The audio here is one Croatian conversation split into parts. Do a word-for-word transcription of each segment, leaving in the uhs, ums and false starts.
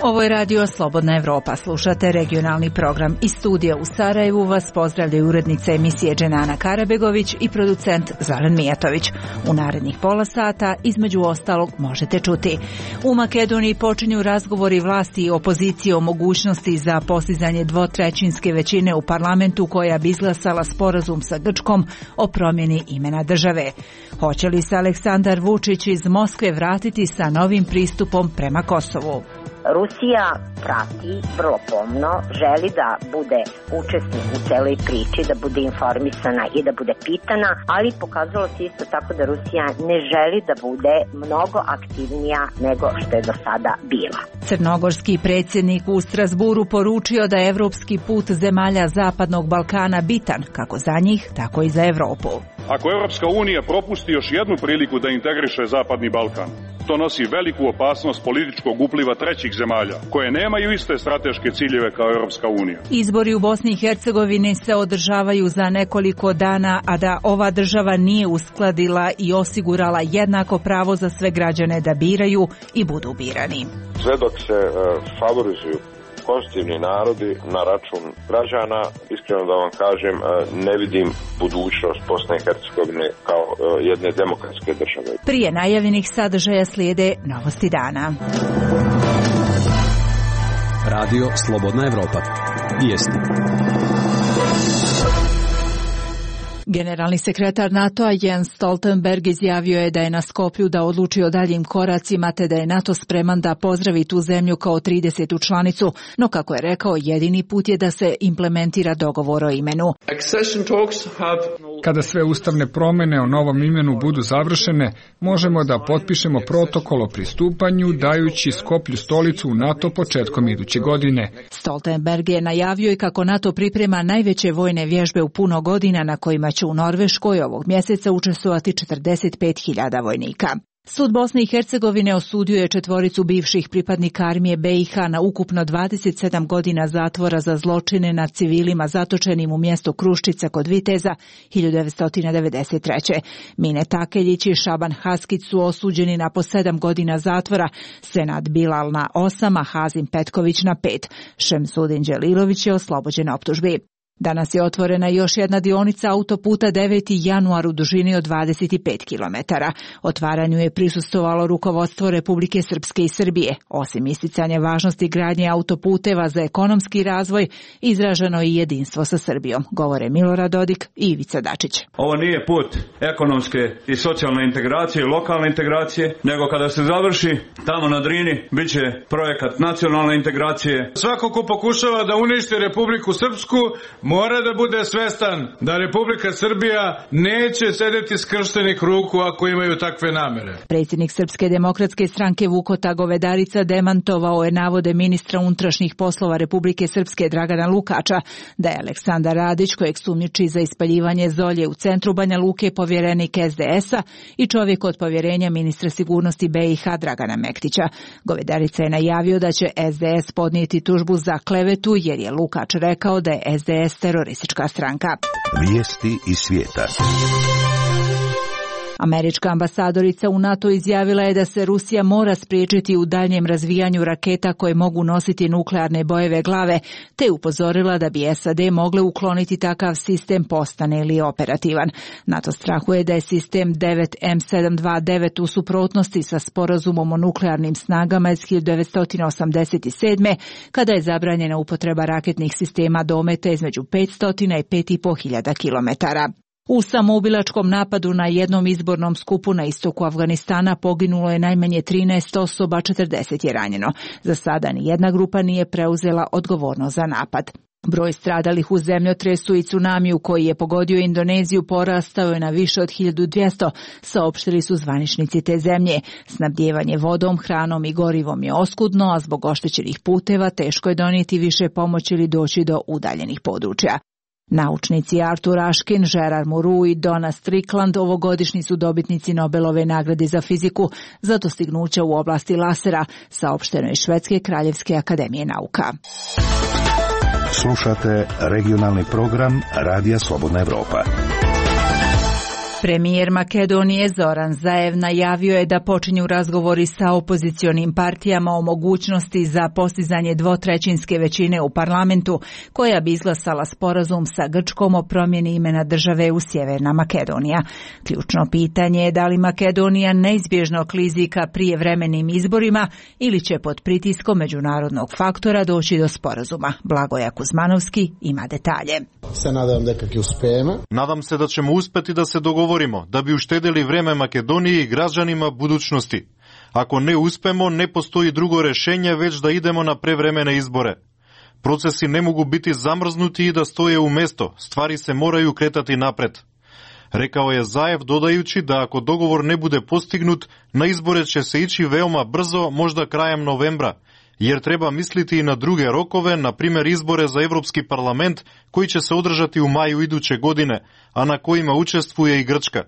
Ovo je radio Slobodna Evropa. Slušate regionalni program. Iz studija u Sarajevu vas pozdravljaju urednica emisije Dženana Karabegović i producent Zoran Mijatović. U narednih pola sata, između ostalog, možete čuti. U Makedoniji počinju razgovori vlasti i opozicije o mogućnosti za postizanje dvotrećinske većine u parlamentu koja bi izglasala sporazum sa Grčkom o promjeni imena države. Hoće li se Aleksandar Vučić iz Moskve vratiti sa novim pristupom prema Kosovu? Rusija prati vrlo pomno, želi da bude učesnik u celoj priči, da bude informisana i da bude pitana, ali pokazalo se isto tako da Rusija ne želi da bude mnogo aktivnija nego što je do sada bila. Crnogorski predsjednik u Strasburu poručio da je evropski put zemalja Zapadnog Balkana bitan, kako za njih, tako i za Evropu. Ako Evropska unija propusti još jednu priliku da integriše Zapadni Balkan, to nosi veliku opasnost političkog upliva trećih zemalja, koje nemaju iste strateške ciljeve kao Evropska unija. Izbori u Bosni i Hercegovini se održavaju za nekoliko dana, a da ova država nije uskladila i osigurala jednako pravo za sve građane da biraju i budu birani. Sve dok se uh, favorizuju konstitutivni narodi na račun građana, iskreno da vam kažem, ne vidim budućnost Bosne i Hercegovine kao jedne demokratske države. Prije najavljenih sadržaja slijede novosti dana. Radio Slobodna Evropa. Vijesti. Generalni sekretar NATO-a Jens Stoltenberg izjavio je da je na Skoplju da odluči o daljim koracima te da je NATO spreman da pozdravi tu zemlju kao tridesetu članicu, no kako je rekao, jedini put je da se implementira dogovor o imenu. Kada sve ustavne promjene o novom imenu budu završene, možemo da potpišemo protokol o pristupanju, dajući Skoplju stolicu u NATO početkom iduće godine. Stoltenberg je najavio i kako NATO priprema najveće vojne vježbe u puno godina na kojima će u Norveškoj ovog mjeseca učestvovati četrdeset pet hiljada vojnika. Sud Bosne i Hercegovine osudio je četvoricu bivših pripadnika armije B i H na ukupno dvadeset sedam godina zatvora za zločine nad civilima zatočenim u mjestu Kruščica kod Viteza hiljadu devetsto devedeset treće. Mine Takeljić i Šaban Haskić su osuđeni na po sedam godina zatvora, Senad Bilal na osam, a Hazim Petković na pet. Šemsudin Đelilović je oslobođen optužbi. Danas je otvorena još jedna dionica autoputa deveti januar u dužini od dvadeset pet kilometara. Otvaranju je prisustvovalo rukovodstvo Republike Srpske i Srbije. Osim isticanja važnosti gradnje autoputeva za ekonomski razvoj, izraženo je i jedinstvo sa Srbijom, govore Milorad Dodik i Ivica Dačić. Ovo nije put ekonomske i socijalne integracije i lokalne integracije, nego kada se završi tamo na Drini, bit će projekat nacionalne integracije. Svako ko pokušava da uništi Republiku Srpsku mora da bude svestan da Republika Srbija neće sedeti skrštenih ruku ako imaju takve namere. Predsjednik Srpske demokratske stranke Vukota Govedarica demantovao je navode ministra unutrašnjih poslova Republike Srpske Dragana Lukača da je Aleksandar Radić, kojeg sumnjiči za ispaljivanje zolje u centru Banja Luke, povjerenik S D S-a i čovjek od povjerenja ministra sigurnosti B i H Dragana Mektića. Govedarica je najavio da će S D S podnijeti tužbu za klevetu jer je Lukač rekao da je S D S teroristička stranka. Vijesti iz svijeta. Američka ambasadorica u NATO izjavila je da se Rusija mora spriječiti u daljnjem razvijanju raketa koje mogu nositi nuklearne bojeve glave, te upozorila da bi S A D mogle ukloniti takav sistem postane li operativan. NATO strahuje da je sistem devet M sedam dvadeset devet u suprotnosti sa sporazumom o nuklearnim snagama iz hiljadu devetsto osamdeset sedme. kada je zabranjena upotreba raketnih sistema dometa između petsto i pet i po hiljada kilometara. U samoubilačkom napadu na jednom izbornom skupu na istoku Afganistana poginulo je najmanje trinaest osoba, četrdeset je ranjeno. Za sada ni jedna grupa nije preuzela odgovornost za napad. Broj stradalih u zemljotresu i tsunamiju koji je pogodio Indoneziju porastao je na više od hiljadu dvjesto, saopštili su zvaničnici te zemlje. Snabdijevanje vodom, hranom i gorivom je oskudno, a zbog oštećenih puteva teško je donijeti više pomoći ili doći do udaljenih područja. Naučnici Arthur Ashkin, Gerard Mourou i Donna Strickland ovogodišnji su dobitnici Nobelove nagrade za fiziku za dostignuća u oblasti lasera, saopšteno iz Švedske kraljevske akademije nauka. Slušate regionalni program Radija Slobodna Evropa. Premijer Makedonije Zoran Zaev najavio je da počinju razgovori sa opozicionim partijama o mogućnosti za postizanje dvotrećinske većine u parlamentu koja bi izglasala sporazum sa Grčkom o promjeni imena države u Sjeverna Makedonija. Ključno pitanje je da li Makedonija neizbježno klizi ka prijevremenim izborima ili će pod pritiskom međunarodnog faktora doći do sporazuma. Blagoja Kuzmanovski ima detalje. Se nadam da kako uspijemo. Nadam se da ćemo uspjeti da se dogovorimo, da bi uštedili vreme Makedoniji i građanima budućnosti. Ako ne uspemo, ne postoji drugo rješenje već da idemo na prevremene izbore. Procesi ne mogu biti zamrznuti i da stoje u mjesto, stvari se moraju kretati napred. Rekao je Zaev dodajući da ako dogovor ne bude postignut, na izbore će se ići veoma brzo, možda krajem novembra, jer treba misliti i na druge rokove, na primjer izbore za Europski parlament koji će se održati u maju iduće godine, a na kojima učestvuje i Grčka.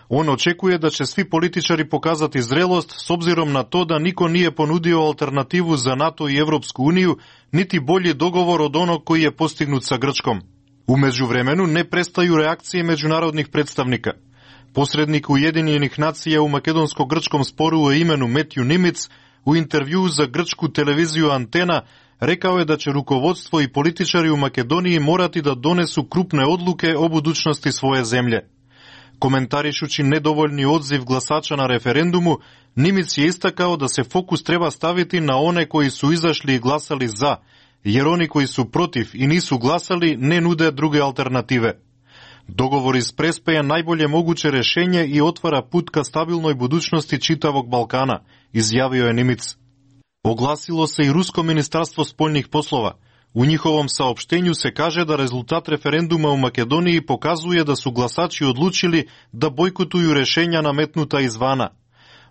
On očekuje da će svi političari pokazati zrelost s obzirom na to da niko nije ponudio alternativu za NATO i Europsku uniju, niti bolji dogovor od onog koji je postignut sa Grčkom. U međuvremenu ne prestaju reakcije međunarodnih predstavnika. Posrednik Ujedinjenih nacija u makedonsko-grčkom sporu o imenu Matthew Nimitz u intervjuu za grčku televiziju Antena rekao je da će rukovodstvo i političari u Makedoniji morati da donesu krupne odluke o budućnosti svoje zemlje. Komentarišući nedovoljni odziv glasača na referendumu, Nimitz je istakao da se fokus treba staviti na one koji su izašli i glasali za, jer oni koji su protiv i nisu glasali ne nude druge alternative. Dogovor iz Prespe je najbolje moguće rješenje i otvara put ka stabilnoj budućnosti čitavog Balkana, izjavio je Nimitz. Oglasilo se i Rusko ministarstvo spoljnih poslova. U njihovom saopštenju se kaže da rezultat referenduma u Makedoniji pokazuje da su glasači odlučili da bojkotuju rješenja nametnuta izvana.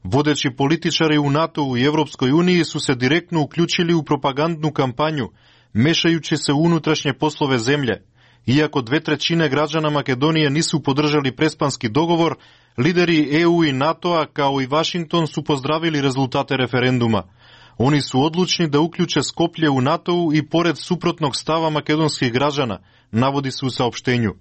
Vodeći političari u NATO-u i Europskoj uniji su se direktno uključili u propagandnu kampanju, mešajući se u unutrašnje poslove zemlje. Iako dve trećine građana Makedonije nisu podržali prespanski dogovor, lideri E U i NATO-a kao i Washington su pozdravili rezultate referenduma. Oni su odlučni da uključe Skoplje u NATO-u i pored suprotnog stava makedonskih građana, navodi se u saopštenju.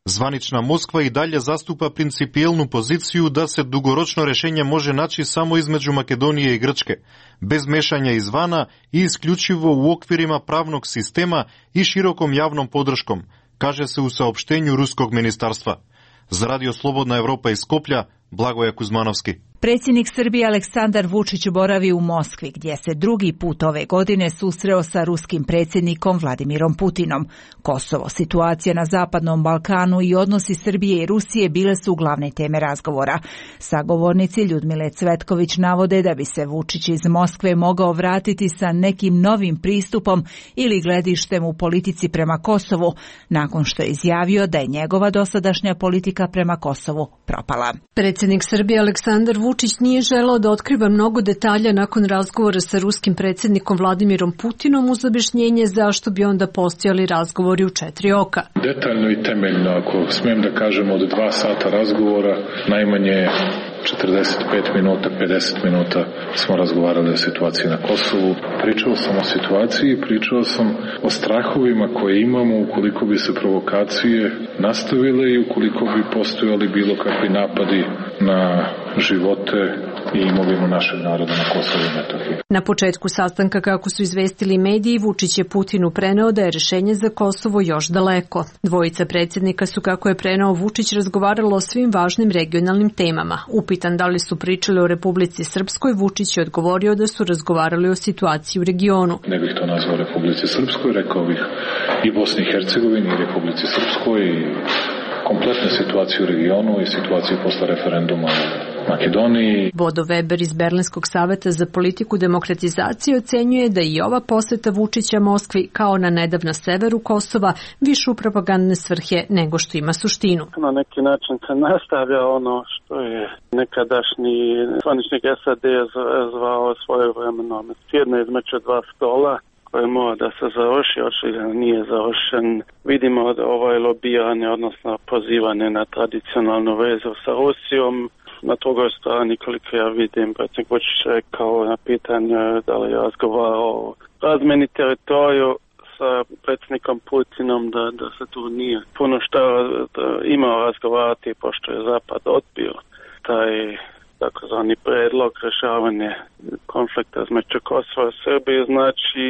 Zvanična Moskva i dalje zastupa principijelnu poziciju da se dugoročno rješenje može naći samo između Makedonije i Grčke, bez mešanja izvana i isključivo u okvirima pravnog sistema i širokom javnom podrškom, kaže se u saopštenju Ruskog ministarstva. Za Radio Slobodna Evropa iz Skoplja, Blagoja Kuzmanovski. Predsjednik Srbije Aleksandar Vučić boravi u Moskvi, gdje se drugi put ove godine susreo sa ruskim predsjednikom Vladimirom Putinom. Kosovo, situacija na Zapadnom Balkanu i odnosi Srbije i Rusije bile su glavne teme razgovora. Sagovornici Ljudmile Cvetković navode da bi se Vučić iz Moskve mogao vratiti sa nekim novim pristupom ili gledištem u politici prema Kosovu, nakon što je izjavio da je njegova dosadašnja politika prema Kosovu propala. Predsjednik Srbije Aleksandar Vučić nije želeo da otkriva mnogo detalja nakon razgovora sa ruskim predsjednikom Vladimirom Putinom uz objašnjenje zašto bi onda postojali razgovori u četiri oka. Detaljno i temeljno, ako smijem da kažem, od dva sata razgovora, najmanje četrdeset pet minuta, pedeset minuta smo razgovarali o situaciji na Kosovu. Pričao sam o situaciji, pričao sam o strahovima koje imamo ukoliko bi se provokacije nastavile i ukoliko bi postojali bilo kakvi napadi na živote i imovinu našeg naroda na Kosovu i Metohiji. Na početku sastanka, kako su izvestili mediji, Vučić je Putinu preneo da je rješenje za Kosovo još daleko. Dvojica predsjednika su, kako je preneo Vučić, razgovaralo o svim važnim regionalnim temama. Upitan da li su pričali o Republici Srpskoj, Vučić je odgovorio da su razgovarali o situaciji u regionu. Ne bih to nazvao Republici Srpskoj, rekao bih i Bosni i Hercegovini i Republici Srpskoj i kompletnu situaciju u regionu i situaciju posle referenduma u Makedoniji. Bodo Weber iz Berlinskog saveta za politiku demokratizacije ocenjuje da i ova poseta Vučića Moskvi, kao na nedavno severu Kosova, više u propagandne svrhe nego što ima suštinu. Na neki način se nastavlja ono što je nekadašnji zvaničnik S A D zvao svojevremeno sjedne između dva stola, koje mora da se završi, očigledno nije završen. Vidimo da ovaj lobijanje, odnosno pozivanje na tradicionalnu vezu sa Rusijom. Na drugoj strani, koliko ja vidim, predsjednik Vučić rekao na pitanje da li je razgovarao o razmeni teritoriju sa predsjednikom Putinom da, da se tu nije puno što imao razgovarati, pošto je Zapad odbio taj takozvani predlog rješavanja konflikta između Kosova i Srbije. Znači,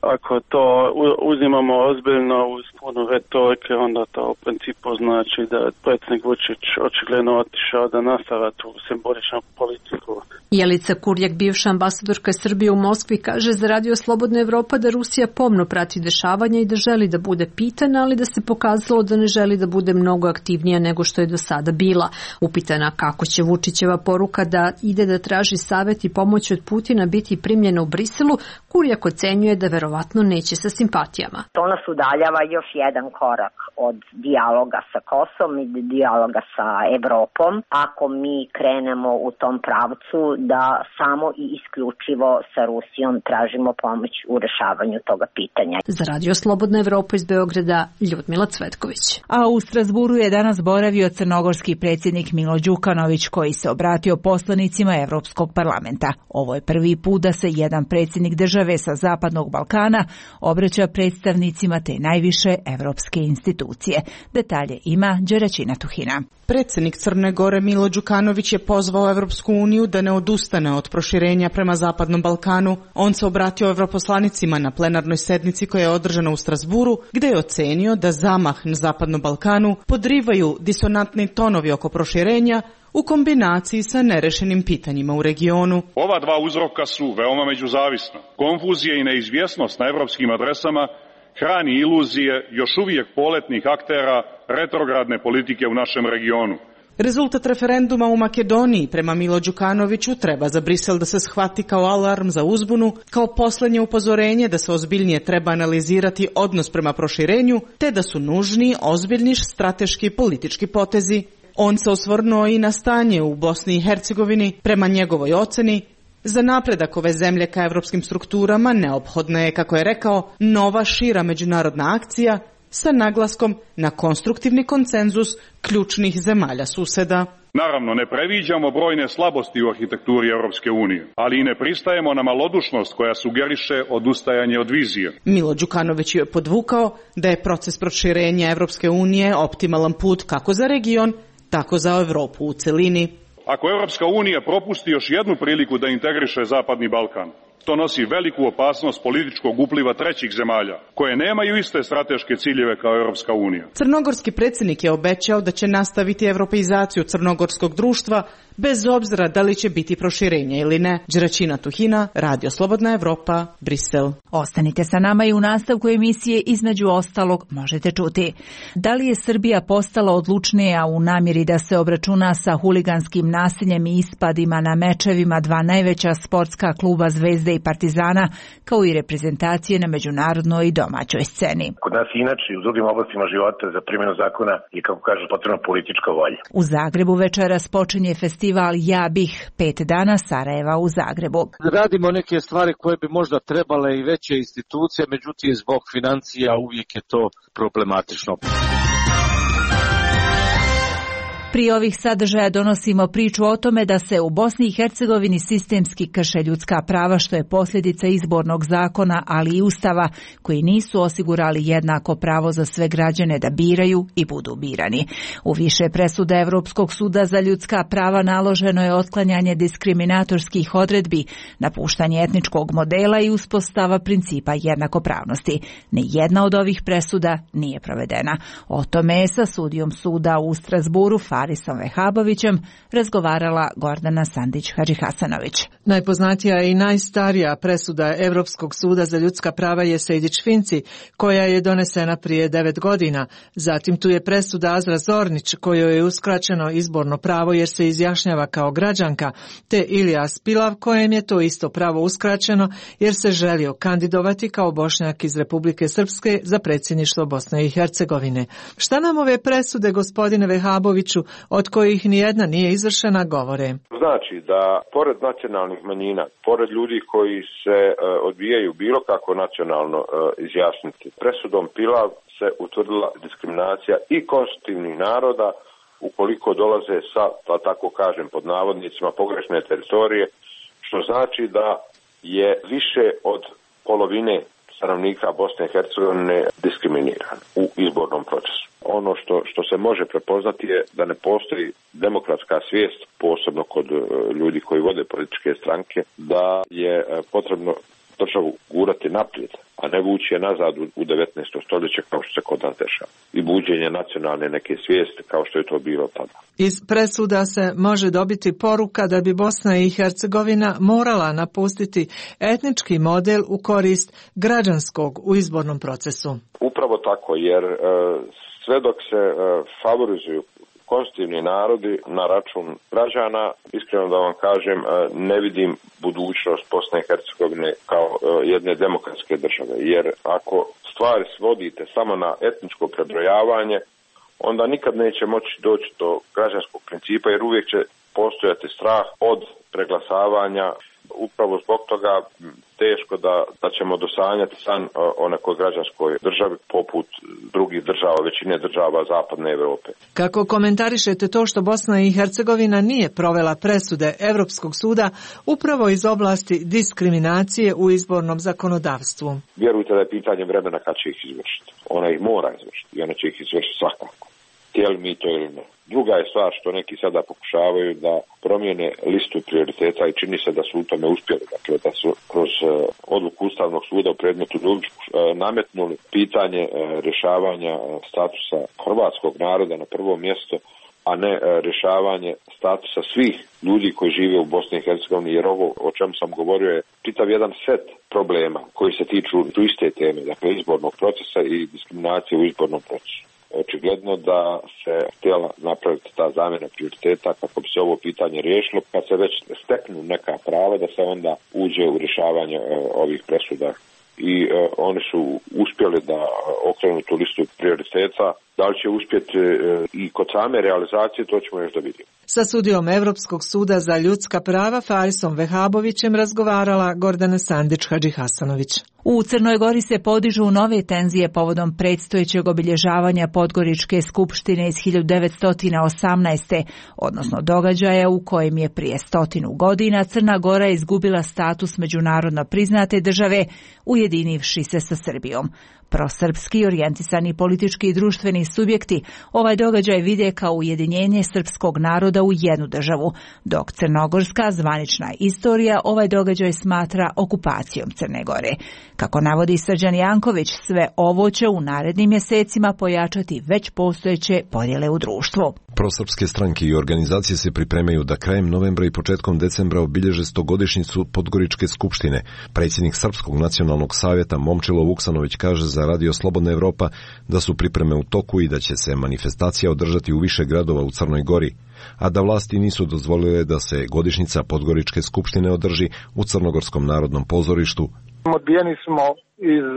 ako to uzimamo ozbiljno uz puno retorike, onda to u principu znači da predsjednik Vučić očigledno otišao da nastavlja tu simboličnu politiku. Jelica Kurjak, bivša ambasadorka Srbije u Moskvi, kaže za Radio Slobodna Evropa da Rusija pomno prati dešavanja i da želi da bude pitana, ali da se pokazalo da ne želi da bude mnogo aktivnija nego što je do sada bila. Upitana kako će Vučićeva poruka da ide da traži savjet i pomoć od Putina biti primljena u Briselu, Kurjak ocenjuje da verovatno neće sa simpatijama. To nas udaljava još jedan korak od dijaloga sa Kosovom i dijaloga sa Evropom. Ako mi krenemo u tom pravcu da samo i isključivo sa Rusijom tražimo pomoć u rešavanju toga pitanja. Za Radio Slobodna Evropa iz Beograda, Ljudmila Cvetković. A u Strazburu je danas boravio crnogorski predsjednik Milo Đukanović, koji se obratio poslanicima Evropskog parlamenta. Ovo je prvi put da se jedan predsjednik države sa Zapadnog Balkana obraća predstavnicima te najviše evropske institucije. Detalje ima Đeraćina Tuhina. Predsjednik Crne Gore Milo Đukanović je pozvao Evropsku uniju da ne odustane od proširenja prema Zapadnom Balkanu. On se obratio evroposlanicima na plenarnoj sednici koja je održana u Strazburu, gdje je ocenio da zamah na Zapadnom Balkanu podrivaju disonantni tonovi oko proširenja u kombinaciji sa nerešenim pitanjima u regionu. Ova dva uzroka su veoma međuzavisna. Konfuzija i neizvjesnost na evropskim adresama hrani iluzije još uvijek poletnih aktera retrogradne politike u našem regionu. Rezultat referenduma u Makedoniji prema Milo Đukanoviću treba za Brisel da se shvati kao alarm za uzbunu, kao posljednje upozorenje da se ozbiljnije treba analizirati odnos prema proširenju, te da su nužni ozbiljni strateški politički potezi. On se osvrnuo i na stanje u Bosni i Hercegovini. Prema njegovoj oceni, za napredak ove zemlje ka evropskim strukturama neophodna je, kako je rekao, nova šira međunarodna akcija sa naglaskom na konstruktivni konsenzus ključnih zemalja suseda. Naravno, ne previđamo brojne slabosti u arhitekturi Evropske unije, ali i ne pristajemo na malodušnost koja sugeriše odustajanje od vizije. Milo Đukanović je podvukao da je proces proširenja Evropske unije optimalan put kako za region, tako za Evropu u celini. Ako Evropska unija propusti još jednu priliku da integriše Zapadni Balkan, to nosi veliku opasnost političkog upliva trećih zemalja, koje nemaju iste strateške ciljeve kao Evropska unija. Crnogorski predsjednik je obećao da će nastaviti evropeizaciju crnogorskog društva, bez obzira da li će biti proširenje ili ne. Đeraćina Tuhina, Radio Slobodna Evropa, Brisel. Ostanite sa nama i u nastavku emisije između ostalog možete čuti. Da li je Srbija postala odlučnija u namjeri da se obračuna sa huliganskim nasiljem i ispadima na mečevima dva najveća sportska kluba Zvezde i Partizana, kao i reprezentacije na međunarodnoj i domaćoj sceni? Kod nas inače i u drugim oblastima života za primjenu zakona je, kako kaže, potrebna politička volja. U Zagrebu večeras počinje festival Ja bih, pet dana Sarajeva u Zagrebu. Radimo neke stvari koje bi možda trebale i veće institucije, međutim zbog financija uvijek je to problematično. Pri ovih sadržaja donosimo priču o tome da se u Bosni i Hercegovini sistemski krše ljudska prava, što je posljedica izbornog zakona, ali i ustava, koji nisu osigurali jednako pravo za sve građane da biraju i budu birani. U više presuda Evropskog suda za ljudska prava naloženo je otklanjanje diskriminatorskih odredbi, napuštanje etničkog modela i uspostava principa jednakopravnosti. Ni jedna od ovih presuda nije provedena. O tome je sa sudijom suda u Strazburu Farisom Vehabovićem razgovarala Gordana Sandić-Hadžihasanović. Najpoznatija i najstarija presuda Evropskog suda za ljudska prava je Sejdić-Finci, koja je donesena prije devet godina. Zatim tu je presuda Azra Zornić, kojoj je uskraćeno izborno pravo jer se izjašnjava kao građanka, te Ilija Spilav, kojem je to isto pravo uskraćeno jer se želio kandidovati kao Bošnjak iz Republike Srpske za predsjedništvo Bosne i Hercegovine. Šta nam ove presude, gospodine Vehaboviću, od kojih nijedna nije izvršena, govore? Znači da pored nacionalnih manjina, pored ljudi koji se uh, odbijaju bilo kako nacionalno uh, izjasniti, presudom Pilav se utvrdila diskriminacija i konstitutivnih naroda ukoliko dolaze sa, da tako kažem, pod navodnicima pogrešne teritorije, što znači da je više od polovine stanovnika Bosne i Hercegovine diskriminiran u izbornom procesu. Ono što, što se može prepoznati je da ne postoji demokratska svijest, posebno kod ljudi koji vode političke stranke, da je potrebno državu gurati naprijed, a ne vući je nazad u devetnaesto stoljeće kao što se kod nas dešava. I buđenje nacionalne neke svijesti kao što je to bilo tada. Iz presuda se može dobiti poruka da bi Bosna i Hercegovina morala napustiti etnički model u korist građanskog u izbornom procesu. Upravo tako, jer e, sve dok se e, favorizuju konstitutivni narodi na račun građana, iskreno da vam kažem, ne vidim budućnost Bosne i Hercegovine kao jedne demokratske države. Jer ako stvari svodite samo na etničko prebrojavanje, onda nikad neće moći doći do građanskog principa, jer uvijek će postojati strah od preglasavanja. Upravo zbog toga teško da, da ćemo dosanjati san o nekoj građanskoj državi poput drugih država, većine država Zapadne Europe. Kako komentarišete to što Bosna i Hercegovina nije provela presude Evropskog suda upravo iz oblasti diskriminacije u izbornom zakonodavstvu? Vjerujte da je pitanje vremena kad će ih izvršiti. Ona ih mora izvršiti i ona će ih izvršiti svakako. Htjeli mi to ili ne. Druga je stvar što neki sada pokušavaju da promijene listu prioriteta i čini se da su u tome uspjeli. Dakle, da su kroz odluku Ustavnog suda u predmetu Dulić nametnuli pitanje rješavanja statusa hrvatskog naroda na prvo mjesto, a ne rješavanje statusa svih ljudi koji žive u Bosni i Hercegovini, jer ovo o čemu sam govorio je čitav jedan set problema koji se tiču tu iste teme, dakle izbornog procesa i diskriminacije u izbornom procesu. Očigledno da se htjela napraviti ta zamjena prioriteta kako bi se ovo pitanje riješilo, kad se već steknu neka prava da se onda uđe u rješavanje e, ovih presuda. I e, oni su uspjeli da okrenu tu listu prioriteta. Da li će uspjeti e, i kod same realizacije, to ćemo još da vidimo. Sa sudijom Evropskog suda za ljudska prava Farisom Vehabovićem razgovarala Gordana Sandić-Hadžihasanović. U Crnoj Gori se podižu nove tenzije povodom predstojećeg obilježavanja Podgoričke skupštine iz hiljadu devetsto osamnaeste. odnosno događaja u kojem je prije stotinu godina Crna Gora izgubila status međunarodno priznate države, ujedinivši se sa Srbijom. Prosrpski orijentisani politički i društveni subjekti ovaj događaj vide kao ujedinjenje srpskog naroda u jednu državu, dok crnogorska zvanična istorija ovaj događaj smatra okupacijom Crne Gore. Kako navodi Srđan Janković, sve ovo će u narednim mjesecima pojačati već postojeće podjele u društvu. Prosrpske stranke i organizacije se pripremaju da krajem novembra i početkom decembra obilježe stogodišnjicu Podgoričke skupštine. Predsjednik Srpskog nacionalnog savjeta Momčilo Vuksanović kaže za Radio Slobodna Evropa da su pripreme u toku i da će se manifestacija održati u više gradova u Crnoj Gori, a da vlasti nisu dozvolile da se godišnjica Podgoričke skupštine održi u Crnogorskom narodnom pozorištu. Odbijeni smo iz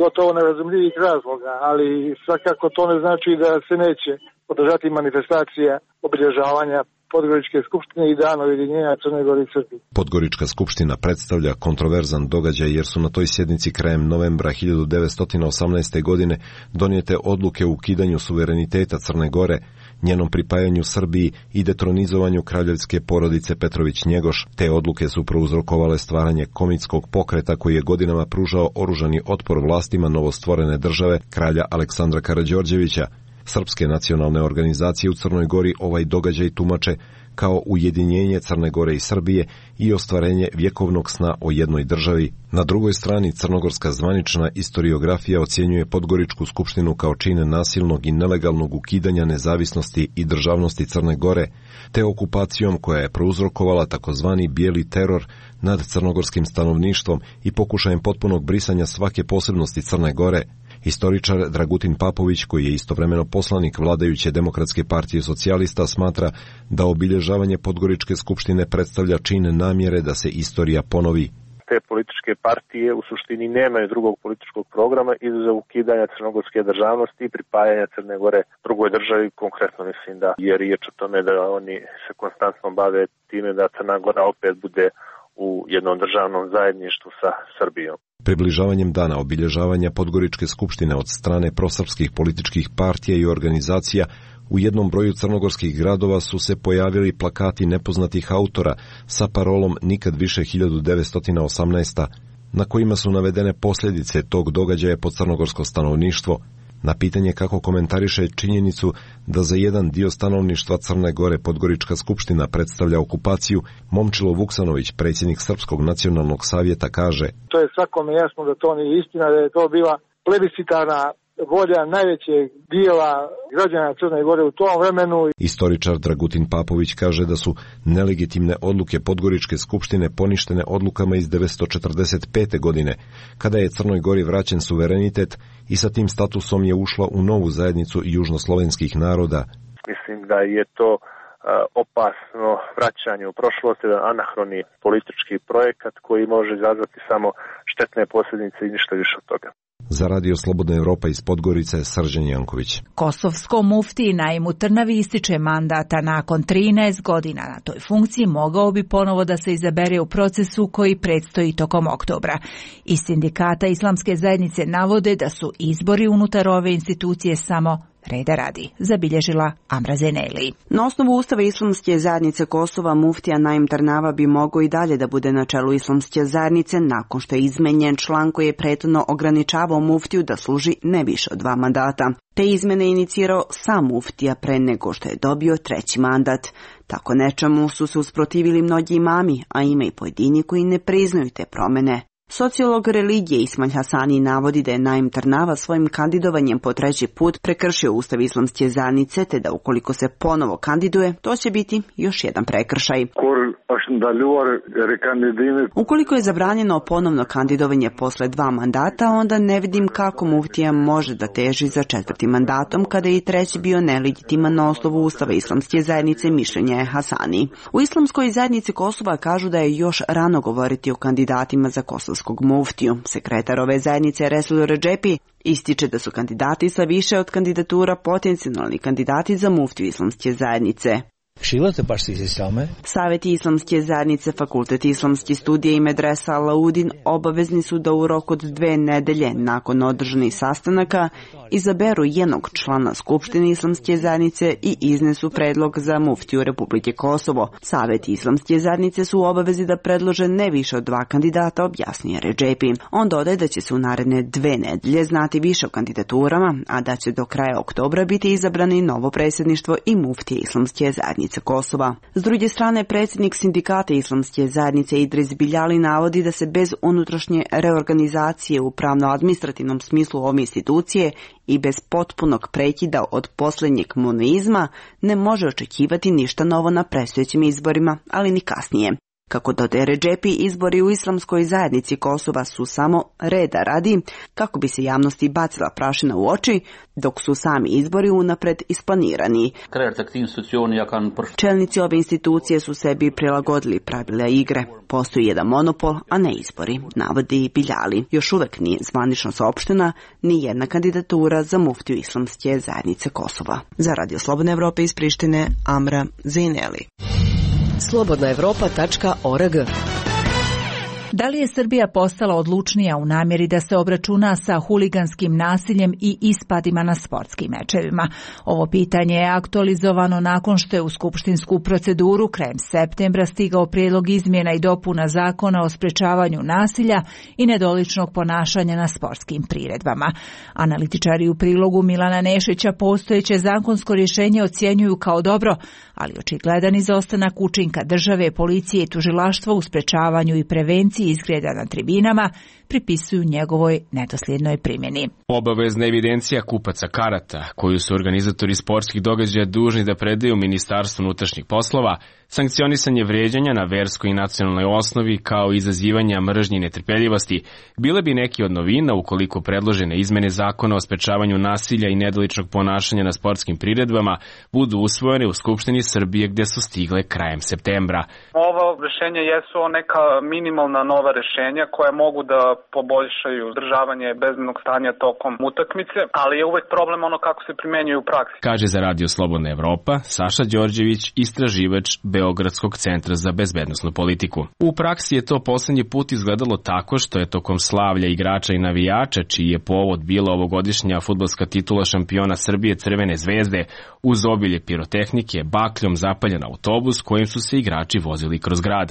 gotovo nerazumljivih razloga, ali svakako to ne znači da se neće održati manifestacija obilježavanja Podgoričke skupštine i dana ujedinjenja Crne Gore i Srbije. Podgorička skupština predstavlja kontroverzan događaj jer su na toj sjednici krajem novembra hiljadu devetsto osamnaeste. godine donijete odluke o ukidanju suvereniteta Crne Gore, njenom pripajanju Srbiji i detronizovanju kraljevske porodice Petrović-Njegoš. Te odluke su prouzrokovale stvaranje komitskog pokreta koji je godinama pružao oružani otpor vlastima novostvorene države kralja Aleksandra Karađorđevića. Srpske nacionalne organizacije u Crnoj Gori ovaj događaj tumače kao ujedinjenje Crne Gore i Srbije i ostvarenje vjekovnog sna o jednoj državi. Na drugoj strani crnogorska zvanična istoriografija ocjenjuje Podgoričku skupštinu kao čin nasilnog i nelegalnog ukidanja nezavisnosti i državnosti Crne Gore, te okupacijom koja je prouzrokovala takozvani bijeli teror nad crnogorskim stanovništvom i pokušajem potpunog brisanja svake posebnosti Crne Gore. Historičar Dragutin Papović, koji je istovremeno poslanik vladajuće Demokratske partije socijalista, smatra da obilježavanje Podgoričke skupštine predstavlja čin namjere da se istorija ponovi. Te političke partije u suštini nemaju drugog političkog programa izuzev ukidanja crnogorske državnosti i pripajanja Crne Gore drugoj državi. Konkretno mislim da je riječ o tome da oni se konstantno bave time da Crna Gora opet bude u jednom državnom zajedništvu sa Srbijom. Približavanjem dana obilježavanja Podgoričke skupštine od strane prosrpskih političkih partija i organizacija u jednom broju crnogorskih gradova su se pojavili plakati nepoznatih autora sa parolom Nikad više hiljadu devetsto osamnaesta. na kojima su navedene posljedice tog događaja po crnogorsko stanovništvo. Na pitanje kako komentariše činjenicu da za jedan dio stanovništva Crne Gore Podgorička skupština predstavlja okupaciju, Momčilo Vuksanović, predsjednik Srpskog nacionalnog savjeta, kaže: To je svakome jasno da to nije istina, da je to bila plebiscitarna volja najvećeg dijela građana Crne Gore u tom vremenu. Istoričar Dragutin Papović kaže da su nelegitimne odluke Podgoričke skupštine poništene odlukama iz devetsto četrdeset pete. godine, kada je Crnoj Gori vraćen suverenitet i sa tim statusom je ušla u novu zajednicu južnoslovenskih naroda. Mislim da je to uh, opasno vraćanje u prošlost, jedan anahroni politički projekat koji može izazvati samo štetne posljedice i ništa više od toga. Za Radio Slobodna Evropa iz Podgorice, Srđan Janković. Kosovskom muftiji Naimu Trnavi ističe mandata nakon trinaest godina na toj funkciji, mogao bi ponovo da se izabere u procesu koji predstoji tokom oktobra. Iz sindikata Islamske zajednice navode da su izbori unutar ove institucije samo reda radi, zabilježila Amra Zeneli. Na osnovu Ustava Islamske zajednice Kosova, muftija Naim Trnava bi mogao i dalje da bude na čelu Islamske zajednice nakon što je izmenjen član koji je prethodno ograničavao muftiju da služi ne više od dva mandata. Te izmene je inicirao sam muftija pre nego što je dobio treći mandat. Tako nečemu su se usprotivili mnogi imami, a ima i pojedini koji ne priznaju te promene. Sociolog religije Ismail Hasani navodi da je Naim Trnava svojim kandidovanjem po treći put prekršio Ustav Islamske zajednice, te da ukoliko se ponovo kandiduje, to će biti još jedan prekršaj. Ukoliko je zabranjeno ponovno kandidovanje posle dva mandata, onda ne vidim kako muftija može da teži za četvrtim mandatom kada je i treći bio nelegitiman na osnovu Ustava Islamske zajednice, mišljenja je Hasani. U Islamskoj zajednici Kosova kažu da je još rano govoriti o kandidatima za kosovskog muftiju. Sekretar ove zajednice Resul Redžepi ističe da su kandidati sa više od kandidatura potencijalni kandidati za muftiju Islamske zajednice. Savjeti Islamske zajednice, Fakultet islamske studije i Medresa Alaudin obavezni su da u roku od dve nedelje nakon održanih sastanaka izaberu jednog člana Skupštine Islamske zajednice i iznesu predlog za muftiju Republike Kosovo. Savjeti Islamske zajednice su u obavezi da predlože ne više od dva kandidata, objasnije Redžepi. On dodaje da će se u naredne dve nedelje znati više o kandidaturama, a da će do kraja oktobra biti izabrani novo predsjedništvo i muftije Islamske zajednice Kosova. S druge strane, predsjednik sindikata Islamske zajednice Idris Biljali navodi da se bez unutrašnje reorganizacije u pravno-administrativnom smislu ove institucije i bez potpunog prekida od posljednjeg monoizma ne može očekivati ništa novo na predstojećim izborima, ali ni kasnije. Kako dodaje Redžepi, izbori u Islamskoj zajednici Kosova su samo reda radi, kako bi se javnosti bacila prašina u oči, dok su sami izbori unapred isplanirani. Čelnici ove institucije su sebi prilagodili pravila igre. Postoji jedan monopol, a ne izbori, navodi Biljali. Još uvek nije zvanično saopštena ni jedna kandidatura za muftiju Islamske zajednice Kosova. Za Radio Slobodna Evropa iz Prištine, Amra Zeneli. slobodna evropa tačka org. Da li je Srbija postala odlučnija u namjeri da se obračuna sa huliganskim nasiljem i ispadima na sportskim mečevima? Ovo pitanje je aktualizovano nakon što je u skupštinsku proceduru krajem septembra stigao prijedlog izmjena i dopuna zakona o sprečavanju nasilja i nedoličnog ponašanja na sportskim priredbama. Analitičari u prilogu Milana Nešića postojeće zakonsko rješenje ocjenjuju kao dobro, ali očigledan izostanak učinka države, policije i tužilaštva u sprečavanju i prevenciji izgreda na tribinama pripisuju njegovoj nedosljednoj primjeni. Obavezna evidencija kupaca karata, koju su organizatori sportskih događaja dužni da predaju Ministarstvu unutrašnjih poslova, sankcionisanje vrijeđanja na verskoj i nacionalnoj osnovi kao i izazivanja mržnje i netrpeljivosti, bile bi neki od novina ukoliko predložene izmene zakona o sprečavanju nasilja i nedoličnog ponašanja na sportskim priredbama budu usvojene u Skupštini Srbije gdje su stigle krajem septembra. Ovo rješenje jesu neka minimalna nova rješenja koja mogu da poboljšaju održavanje bezbednog stanja tokom utakmice, ali je uvek problem ono kako se primenjuje u praksi. Kaže za Radio Slobodna Evropa Saša Đorđević, istraživač Beogradskog centra za bezbednosnu politiku. U praksi je to posljednji put izgledalo tako što je tokom slavlja igrača i navijača, čiji je povod bila ovogodišnja fudbalska titula šampiona Srbije Crvene zvezde, uz obilje pirotehnike, bakljom zapaljen autobus kojim su se igrači vozili kroz grad.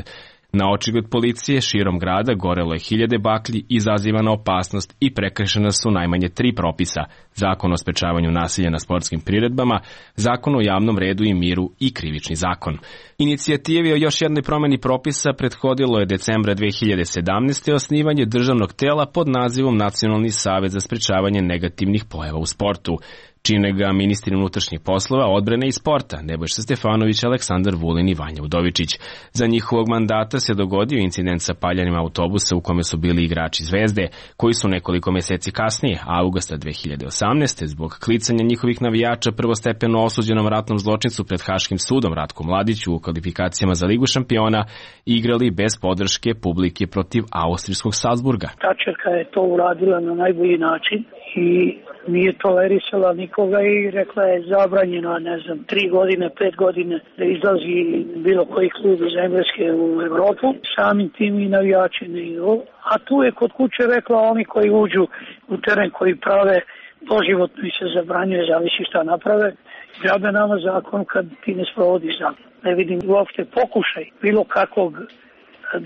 Na očigled policije širom grada gorelo je hiljade baklji, izazivana opasnost i prekršena su najmanje tri propisa: Zakon o sprečavanju nasilja na sportskim priredbama, Zakon o javnom redu i miru i Krivični zakon. Inicijativi o još jednoj promeni propisa prethodilo je decembra dve hiljade sedamnaeste. osnivanje državnog tela pod nazivom Nacionalni savet za sprečavanje negativnih pojava u sportu. Čine ga ministri unutrašnjih poslova, odbrane i sporta Nebojša Stefanović, Aleksandar Vulin i Vanja Udovičić. Za njihovog mandata se dogodio incident sa paljenjem autobusa u kome su bili igrači Zvezde, koji su nekoliko meseci kasnije, avgusta dve hiljade osamnaeste. zbog klicanja njihovih navijača prvostepeno osuđenom ratnom zločincu pred Haškim sudom Ratku Mladiću u kvalifikacijama za Ligu šampiona igrali bez podrške publike protiv austrijskog Salzburga. Tačerka je to uradila na najbolji način i nije tolerisala nikoga i rekla je zabranjeno, ne znam, tri godine, pet godine da izlazi bilo koji klub iz Engleske u Evropu, samim tim i navijači ne idu. A tu je kod kuće rekla oni koji uđu u teren, koji prave doživotno i se zabranjuje, zavisi šta naprave. Džabe nama zakon kad ti ne sprovodiš zakon. Ne vidim uopšte pokušaj bilo kakvog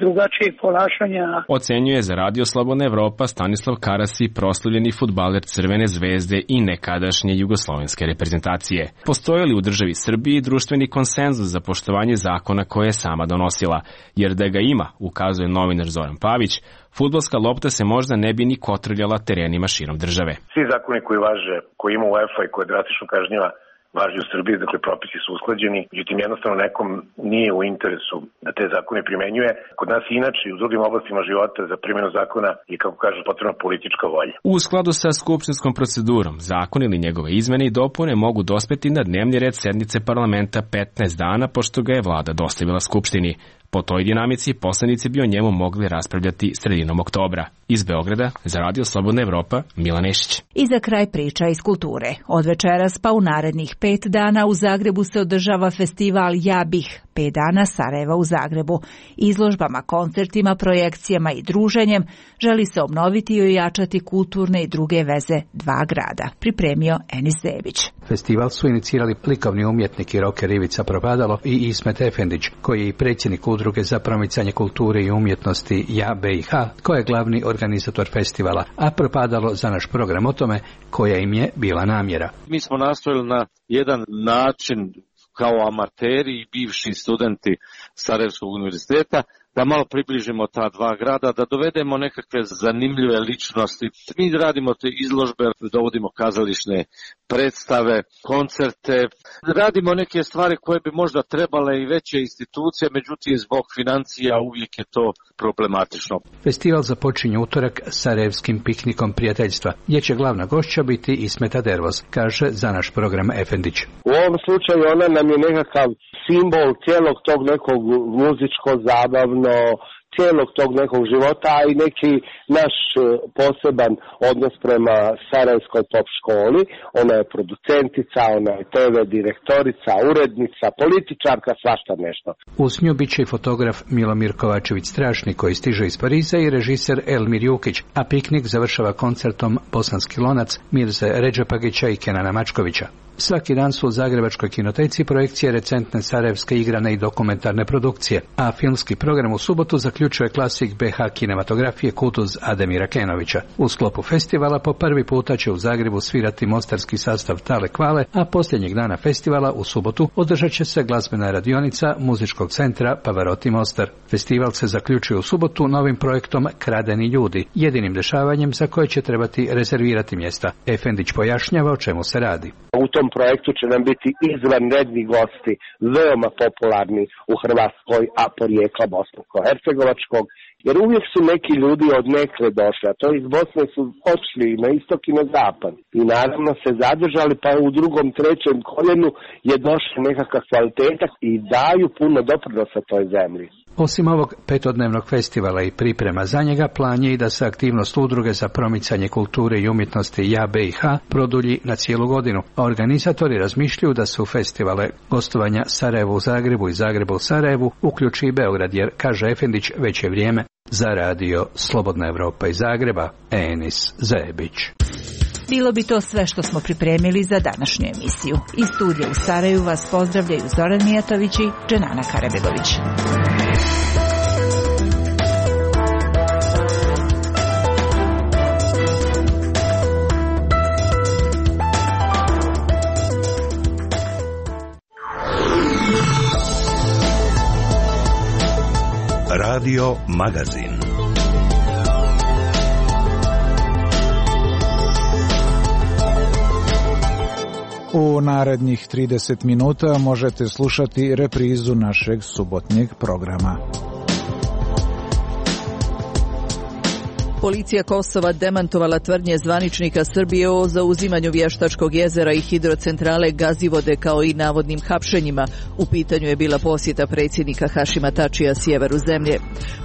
drugačijeg ponašanja. Ocenjuje za Radio Slobodna Evropa Stanislav Karasi, proslavljeni fudbaler Crvene zvezde i nekadašnje jugoslovenske reprezentacije. Postoji li u državi Srbiji društveni konsenzus za poštovanje zakona koje je sama donosila? Jer da ga ima, ukazuje novinar Zoran Pavić, fudbalska lopta se možda ne bi ni kotrljala terenima širom države. Svi zakoni koji važe, koji ima UEFA i koje drastično kažnjiva, važi u Srbiji, dakle propisi su usklađeni, međutim jednostavno nekom nije u interesu da te zakone primenjuje. Kod nas inače i u drugim oblastima života za primjenu zakona je, kako kažu, potrebna politička volja. U skladu sa skupštinskom procedurom, zakon ili njegove izmene i dopune mogu dospeti na dnevni red sednice parlamenta petnaest dana, pošto ga je vlada dostavila Skupštini. Po toj dinamici poslanici bi o njemu mogli raspravljati sredinom oktobra. Iz Beograda, za Radio Slobodna Evropa, Milan Nešić. I za kraj priča iz kulture. Od večeras pa u narednih pet dana u Zagrebu se održava festival Ja bih, pet dana Sarajeva u Zagrebu. Izložbama, koncertima, projekcijama i druženjem želi se obnoviti i ojačati kulturne i druge veze dva grada. Pripremio Enis Zebić. Festival su inicirali likovni umjetnik i roker Ivica Propadalo i Ismet Efendić, koji je i predsjednik Udruge za promicanje kulture i umjetnosti Ja B i H, koja je glavni organizator festivala, a Propadalo za naš program o tome koja im je bila namjera. Mi smo nastojali na jedan način kao amateri i bivši studenti Sarajevskog univerziteta da malo približimo ta dva grada, da dovedemo nekakve zanimljive ličnosti. Mi radimo te izložbe, dovodimo kazališne predstave, koncerte, radimo neke stvari koje bi možda trebale i veće institucije, međutim zbog financija uvijek je to problematično. Festival započinje utorak Sarajevskim piknikom prijateljstva, gdje će glavna gošća biti Ismeta Dervoz, kaže za naš program Efendić. U ovom slučaju ona nam je nekakav simbol cijelog tog nekog muzičko-zabavno, cijelog tog nekog života, a i neki naš poseban odnos prema Sarajevskoj pop školi. Ona je producentica, ona je te ve direktorica, urednica, političarka, svašta nešto. Uz nju bit će i fotograf Milomir Kovačević-Strašni, koji stiže iz Pariza, i režiser Elmir Jukić, a piknik završava koncertom Bosanski lonac Mirze Redžepagića i Kenana Mačkovića. Svaki dan su u Zagrebačkoj kinoteci projekcije recentne sarajevske igrane i dokumentarne produkcije, a filmski program u subotu zaključuje klasik be ha kinematografije Kutuz Ademira Kenovića. U sklopu festivala po prvi puta će u Zagrebu svirati mostarski sastav Tale Kvale, a posljednjeg dana festivala u subotu održat će se glazbena radionica muzičkog centra Pavarotti Mostar. Festival se zaključuje u subotu novim projektom Kradeni ljudi, jedinim dešavanjem za koje će trebati rezervirati mjesta. Efendić pojašnjava o čemu se radi. U tom projektu će nam biti izvanredni gosti, veoma popularni u Hrvatskoj, a porijekla bosansko-hercegovačkog, jer uvijek su neki ljudi od nekle došli, a to iz Bosne su očli na istok i na zapad. I naravno se zadržali, pa u drugom, trećem koljenu je došla nekakva kvaliteta i daju puno doprinosa toj zemlji. Osim ovog petodnevnog festivala i priprema za njega, plan je i da se aktivnost udruge za promicanje kulture i umjetnosti Ja B i H produlji na cijelu godinu. A organizatori razmišljaju da se u festivale gostovanja Sarajevo u Zagrebu i Zagrebu u Sarajevu uključi i Beograd, jer, kaže Efendić, već je vrijeme. Za radio Slobodna Evropa iz Zagreba, Enis Zebić. Bilo bi to sve što smo pripremili za današnju emisiju. Iz studija u Sarajevu vas pozdravljaju Zoran Mijatović i Dženana Karabegović. Radio Magazin. U narednih trideset minuta možete slušati reprizu našeg subotnjeg programa. Policija Kosova demantovala tvrdnje zvaničnika Srbije o zauzimanju Vještačkog jezera i hidrocentrale Gazivode kao i navodnim hapšenjima. U pitanju je bila posjeta predsjednika Hašima Tačija sjeveru zemlje.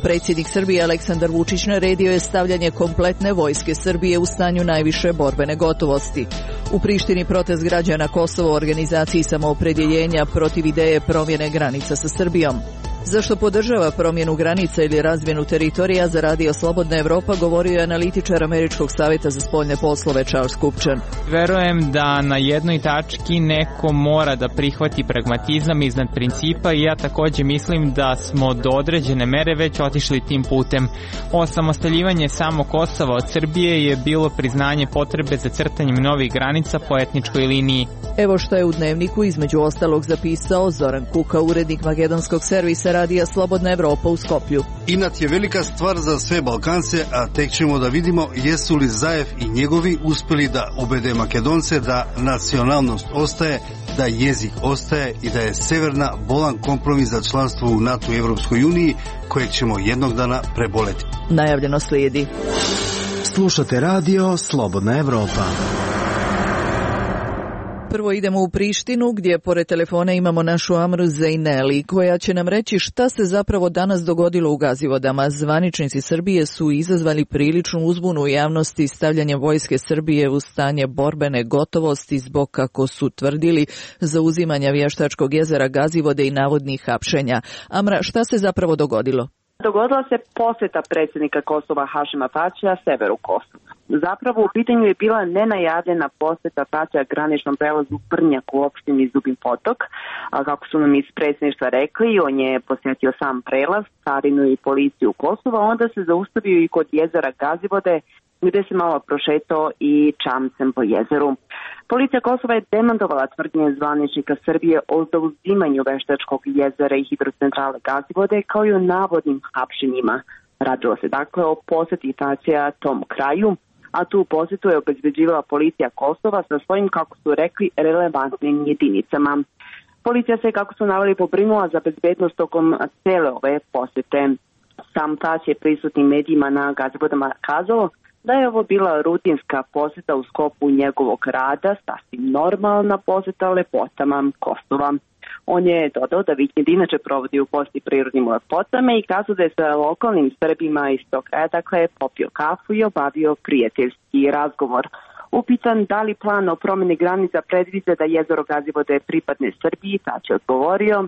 Predsjednik Srbije Aleksandar Vučić naredio je stavljanje kompletne vojske Srbije u stanju najviše borbene gotovosti. U Prištini protest građana Kosova u organizaciji samoopredjeljenja protiv ideje promjene granica sa Srbijom. Zašto podržava promjenu granica ili razmjenu teritorija za Radio Slobodna Evropa, govorio je analitičar Američkog savjeta za spoljne poslove Charles Kupčan. Verujem da na jednoj tački neko mora da prihvati pragmatizam iznad principa i ja također mislim da smo do određene mere već otišli tim putem. Osamostaljivanje samo Kosova od Srbije je bilo priznanje potrebe za crtanjem novih granica po etničkoj liniji. Evo što je u Dnevniku između ostalog zapisao Zoran Kuka, urednik makedonskog servisa Radija Slobodna Evropa u Skoplju. Inat je velika stvar za sve Balkance, a tek ćemo da vidimo jesu li Zaev i njegovi uspjeli da ubede Makedonce da nacionalnost ostaje, da jezik ostaje i da je severna bolan kompromis za članstvo u NATO i Evropskoj uniji kojeg ćemo jednog dana preboleti. Najavljeno slijedi. Slušate Radio Slobodna Evropa. Prvo idemo u Prištinu gdje pored telefona imamo našu Amru Zejneli koja će nam reći šta se zapravo danas dogodilo u Gazivodama. Zvaničnici Srbije su izazvali priličnu uzbunu u javnosti stavljanjem vojske Srbije u stanje borbene gotovosti zbog, kako su tvrdili, zauzimanja Vještačkog jezera Gazivode i navodnih hapšenja. Amra, šta se zapravo dogodilo? Dogodila se posjeta predsjednika Kosova Hašima Tačija severu Kosova. Zapravo u pitanju je bila nenajavljena posjeta Tačija graničnom prelazu Prnjak u opštini Zubin Potok. A kako su nam iz predsjedništva rekli, on je posjetio sam prelaz, carinu i policiju Kosova, onda se zaustavio i kod jezera Gazivode, gdje se malo prošetao i čamcem po jezeru. Policija Kosova je demantovala tvrdnje zvaničnika Srbije o zauzimanju Veštačkog jezera i hidrocentrale Gazivode kao i o navodnim hapšenjima. Radilo se dakle o posjeti Tačija tom kraju, a tu posjetu je obezbeđivala policija Kosova sa svojim, kako su rekli, relevantnim jedinicama. Policija se, kako su naveli, pobrinula za bezbednost tokom cele ove posjete. Sam Tačij je prisutnim medijima na Gazivodama kazao da je ovo bila rutinska posjeta u sklopu njegovog rada, sasvim normalna posjeta lepotama Kosova. On je dodao da vikend inače provodi u posti prirodnim lepotama i kazao da je sa lokalnim Srbima iz tog kraja, dakle, popio kafu i obavio prijateljski razgovor. Upitan da li plan o promjeni granica predviđa da jezero Gazivode pripadne Srbiji, Tačij je odgovorio,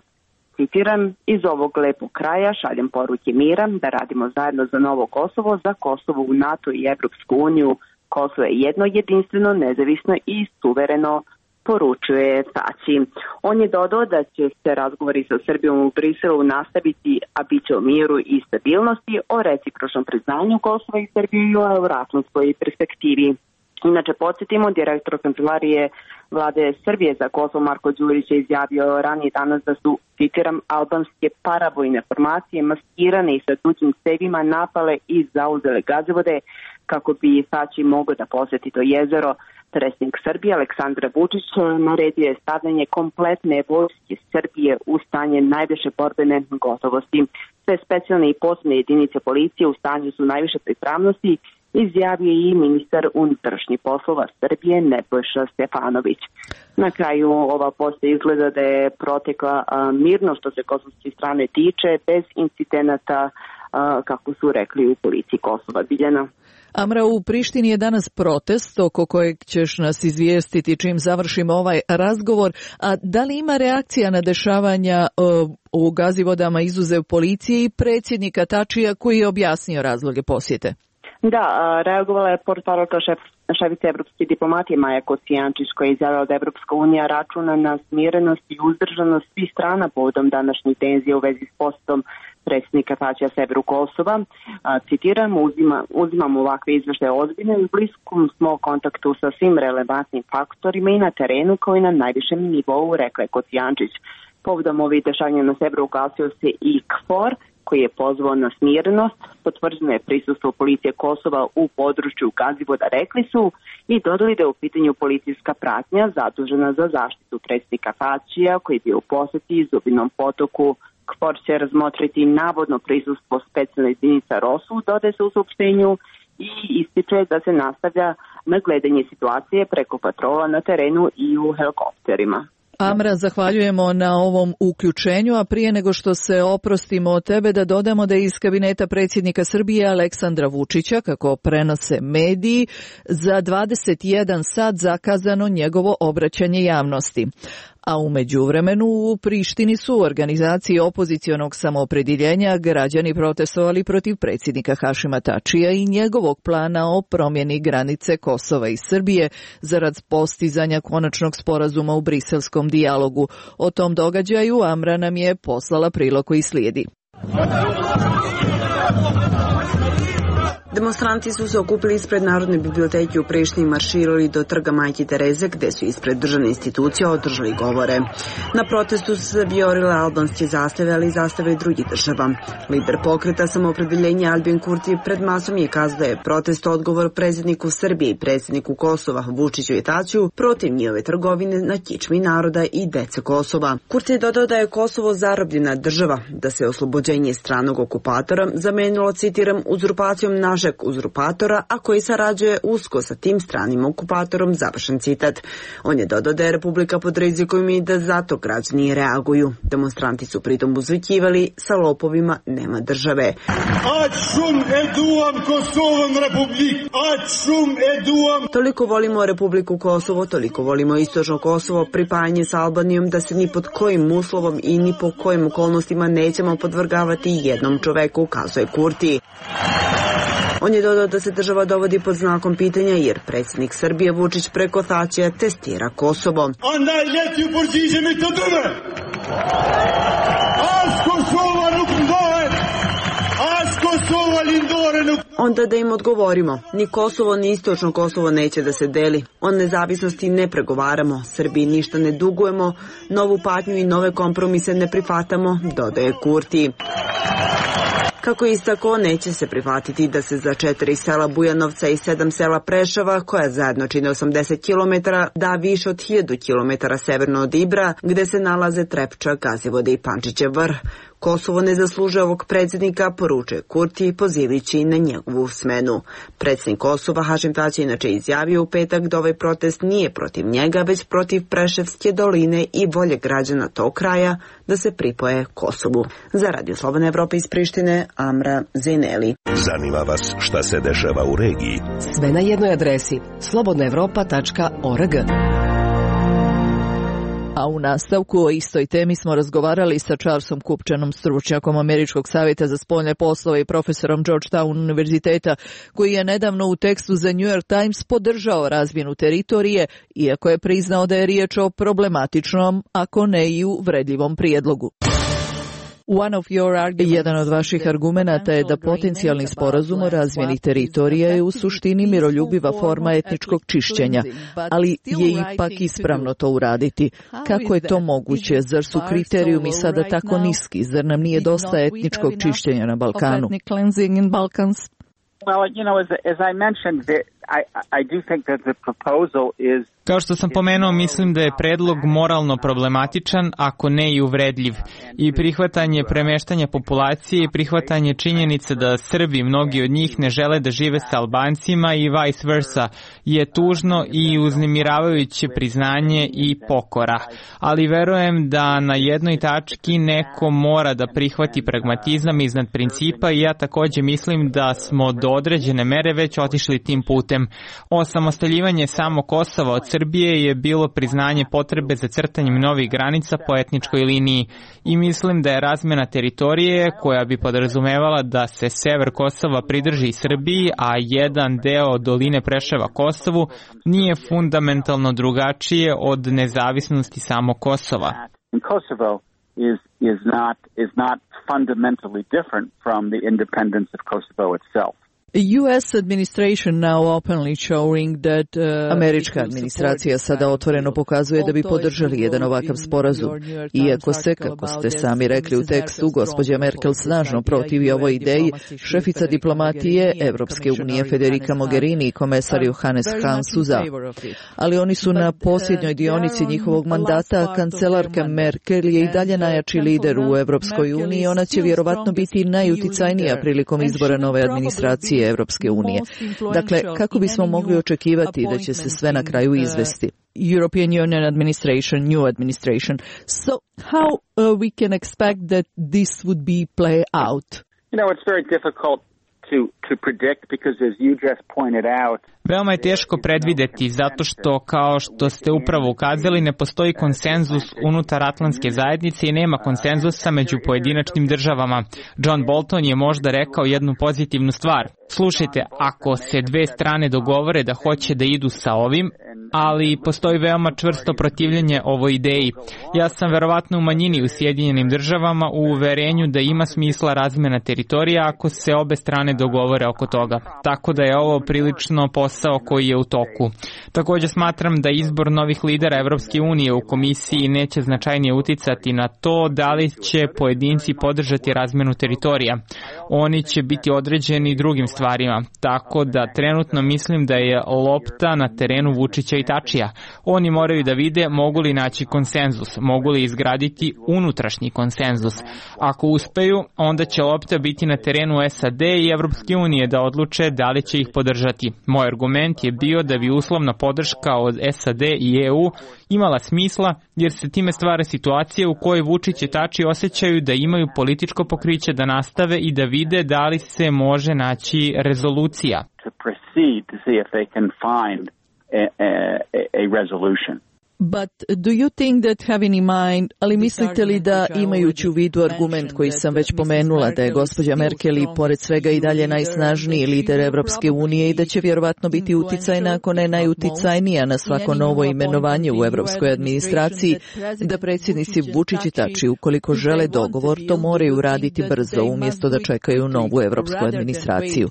citiram, iz ovog lepog kraja šaljem poruke mira, da radimo zajedno za novo Kosovo, za Kosovo u NATO i Evropsku uniju. Kosovo je jedno, jedinstveno, nezavisno i suvereno, poručuje Tačij. On je dodao da će se razgovori sa Srbijom u Briselu nastaviti, a bit će o miru i stabilnosti, o recipročnom priznanju Kosova i Srbije i o euroatlantskoj perspektivi. Inače, podsjetimo, direktor kancelarije vlade Srbije za Kosovo Marko Đurić je izjavio ranije danas da su, citiram, albanske paravojne formacije maskirane i sa tuđim cevima napale i zauzele Gazivode kako bi Tačij mogao da posjeti to jezero. Predsjednik Srbije Aleksandar Vučić naredio je stavljanje kompletne vojske Srbije u stanje najviše borbene gotovosti. Sve specijalne i posebne jedinice policije u stanju su najviše pripravnosti, izjavio i ministar unutrašnjih poslova Srbije Nebojša Stefanović. Na kraju ova posjeta izgleda da je protekla a, mirno što se kosovske strane tiče, bez incidenata, a, kako su rekli u policiji Kosova. Biljana. Amra, u Prištini je danas protest oko kojeg ćeš nas izvijestiti čim završimo ovaj razgovor. A da li ima reakcija na dešavanja uh, u Gazivodama izuzev policije i predsjednika Tačija koji je objasnio razloge posjete? Da, reagovala je portparolka šef, šefica evropske diplomatije Maja Kocijančić koja je izjavila da Evropska unija računa na smirenost i uzdržanost svih strana povodom današnjih tenzija u vezi s postom predsjednika Tačija severu Kosova. A, citiram, uzima, uzimamo ovakve izveštaje ozbiljno i u bliskom smo kontaktu sa svim relevantnim faktorima i na terenu kao i na najvišem nivou, rekla je Kocijančić. Povodom ovih dešavanja na severu ugasio se i KFOR, koji je pozvao na smirenost, potvrđeno je prisustvo policije Kosova u području Gazivoda, rekli su, i dodali da je u pitanju policijska pratnja zadužena za zaštitu predsjednika Tačija koji je bio u poseti Zubinom Potoku. KFOR će razmotriti navodno prisustvo specijalne jedinice ROSU, dodaje se u saopštenju, i ističe da se nastavlja na gledanje situacije preko patrola na terenu i u helikopterima. Amra, zahvaljujemo na ovom uključenju, a prije nego što se oprostimo od tebe da dodamo da je iz kabineta predsjednika Srbije Aleksandra Vučića, kako prenose mediji, za dvadeset jedan sat zakazano njegovo obraćanje javnosti. A u međuvremenu u Prištini su u organizaciji opozicionog samoopredjeljenja građani protestovali protiv predsjednika Hašima Tačija i njegovog plana o promjeni granice Kosova i Srbije zarad postizanja konačnog sporazuma u briselskom dijalogu. O tom događaju Amra nam je poslala prilog koji slijedi. Demonstranti su se okupili ispred Narodne biblioteke u Prištini i marširali do trga Majke Tereze, gde su ispred državne institucije održali govore. Na protestu su se viorile albanske zastave, ali i zastave drugih država. Lider pokreta Samoopredeljenja Albin Kurti pred masom je kazao da je protest odgovor predsjedniku Srbije i predsjedniku Kosova Vučiću i Tačiju protiv njihove trgovine na kičmi naroda i dece Kosova. Kurti je dodao da je Kosovo zarobljena država, da se oslobođenje stranog okupatora zamenilo, citiram, uzurpacijom našeg uzurpatora, a koji sarađuje usko sa tim stranim okupatorom, završen citat. On je dodao da je Republika pod rizikom i da zato građani reaguju. Demonstranti su pritom uzvikivali sa lopovima nema države. Toliko volimo Republiku Kosovo, toliko volimo istočno Kosovo, pripajanje sa Albanijom da se ni pod kojim uslovom i ni po kojim okolnostima nećemo podvrgavati jednom čoveku, kazuje Kurti. On je dodao da se država dovodi pod znakom pitanja jer predsjednik Srbije Vučić preko Tačija testira Kosovo. Onda da im odgovorimo, ni Kosovo ni istočno Kosovo neće da se deli. O nezavisnosti ne pregovaramo, Srbiji ništa ne dugujemo, novu patnju i nove kompromise ne prihvatamo, dodaje Kurti. Kako istako, neće se prihvatiti da se za četiri sela Bujanovca i sedam sela Prešava, koja zajedno čine osamdeset kilometara, da više od hiljadu kilometara severno od Ibra, gde se nalaze Trepča, Gazivode i Pančićev vrh. Kosovo ne zaslužuje ovog predsjednika, poručuje Kurti, pozivajući na njegovu smenu. Predsjednik Kosova Hašim Tači inače izjavio u petak da ovaj protest nije protiv njega, već protiv Preševske doline i volje građana tog kraja da se pripoje Kosovu. Za Radio Slobodne Evrope iz Prištine, Amra Zeneli. Zanima vas šta se dešava u regiji? Sve na jednoj adresi slobodna evropa tačka org. A u nastavku o istoj temi smo razgovarali sa Charlesom Kupčanom, stručnjakom Američkog savjeta za spoljne poslove i profesorom Georgetown univerziteta, koji je nedavno u tekstu za New York Times podržao razmjenu teritorije, iako je priznao da je riječ o problematičnom, ako ne i uvredljivom prijedlogu. Jedan od vaših argumenata je da potencijalni sporazum o razmjeni teritorija je u suštini miroljubiva forma etničkog čišćenja, ali je ipak ispravno to uraditi. Kako je to moguće? Zar su kriterijumi sada tako niski? Zar nam nije dosta etničkog čišćenja na Balkanu? Well, you know, as, as I mentioned, the, I, I do think that the proposal is... Kao što sam pomenuo, mislim da je predlog moralno problematičan, ako ne i uvredljiv. I prihvatanje premeštanja populacije i prihvatanje činjenice da Srbi, mnogi od njih, ne žele da žive sa Albancima i vice versa, je tužno i uznemiravajuće priznanje i pokora. Ali verujem da na jednoj tački neko mora da prihvati pragmatizam iznad principa i ja također mislim da smo do određene mere već otišli tim putem. Osamostaljivanje samo Kosova od Srbije je bilo priznanje potrebe za crtanjem novih granica po etničkoj liniji i mislim da je razmjena teritorije koja bi podrazumevala da se sever Kosova pridrži Srbiji, a jedan deo doline Preševa Kosovu, nije fundamentalno drugačije od nezavisnosti samo Kosova. Kosovo is is not is not fundamentally different from the independence of Kosovo itself. Američka administracija sada otvoreno pokazuje da bi podržali jedan ovakav sporazum. Iako se, kako ste sami rekli u tekstu, gospođa Merkel snažno protivi ovoj ideji, šefica diplomatije Evropske unije Federica Mogherini i komesar Johannes Hahn su za. Ali oni su na posljednjoj dionici njihovog mandata. Kancelarka Merkel je i dalje najjači lider u Evropskoj uniji i ona će vjerovatno biti najuticajnija prilikom izbora nove administracije Evropske unije. Dakle, kako bismo mogli očekivati da će se sve na kraju izvesti? European Union administration, new administration. So how uh, we can expect that this would be play out? You know, it's very difficult to to predict because as you just pointed out, veoma je teško predvideti zato što, kao što ste upravo ukazali, ne postoji konsenzus unutar atlantske zajednice i nema konsenzusa među pojedinačnim državama. John Bolton je možda rekao jednu pozitivnu stvar. Slušajte, ako se dve strane dogovore da hoće da idu sa ovim, ali postoji veoma čvrsto protivljenje ovoj ideji. Ja sam verovatno u manjini u Sjedinjenim državama u uverenju da ima smisla razmjena teritorija ako se obe strane dogovore oko toga. Tako da je ovo prilično posao koji je u toku. Također smatram da izbor novih lidera Evropske unije u komisiji neće značajnije uticati na to da li će pojedinci podržati razmjenu teritorija. Oni će biti određeni drugim stvarima. Tako da trenutno mislim da je lopta na terenu Vučića i Tačija. Oni moraju da vide mogu li naći konsenzus, mogu li izgraditi unutrašnji konsenzus. Ako uspeju, onda će lopta biti na terenu S A D i Evropske unije da odluče da li će ih podržati. Moj argument je bio da bi uslovna podrška od S A D i E U imala smisla jer se time stvara situacija u kojoj Vučić i Tači osjećaju da imaju političko pokriće da nastave i da vide da li se može naći rezolucija. To proceed to see if they can find a, a, a resolution. But do you think that having in mind, ali mislite li da imajući u vidu argument koji sam već pomenula da je gospođa Merkel i pored svega i dalje najsnažniji lider Evropske unije i da će vjerovatno biti uticajna ako ne najuticajnija na svako novo imenovanje u evropskoj administraciji, da predsjednici Vučić i Tači ukoliko žele dogovor to moraju raditi brzo umjesto da čekaju novu evropsku administraciju.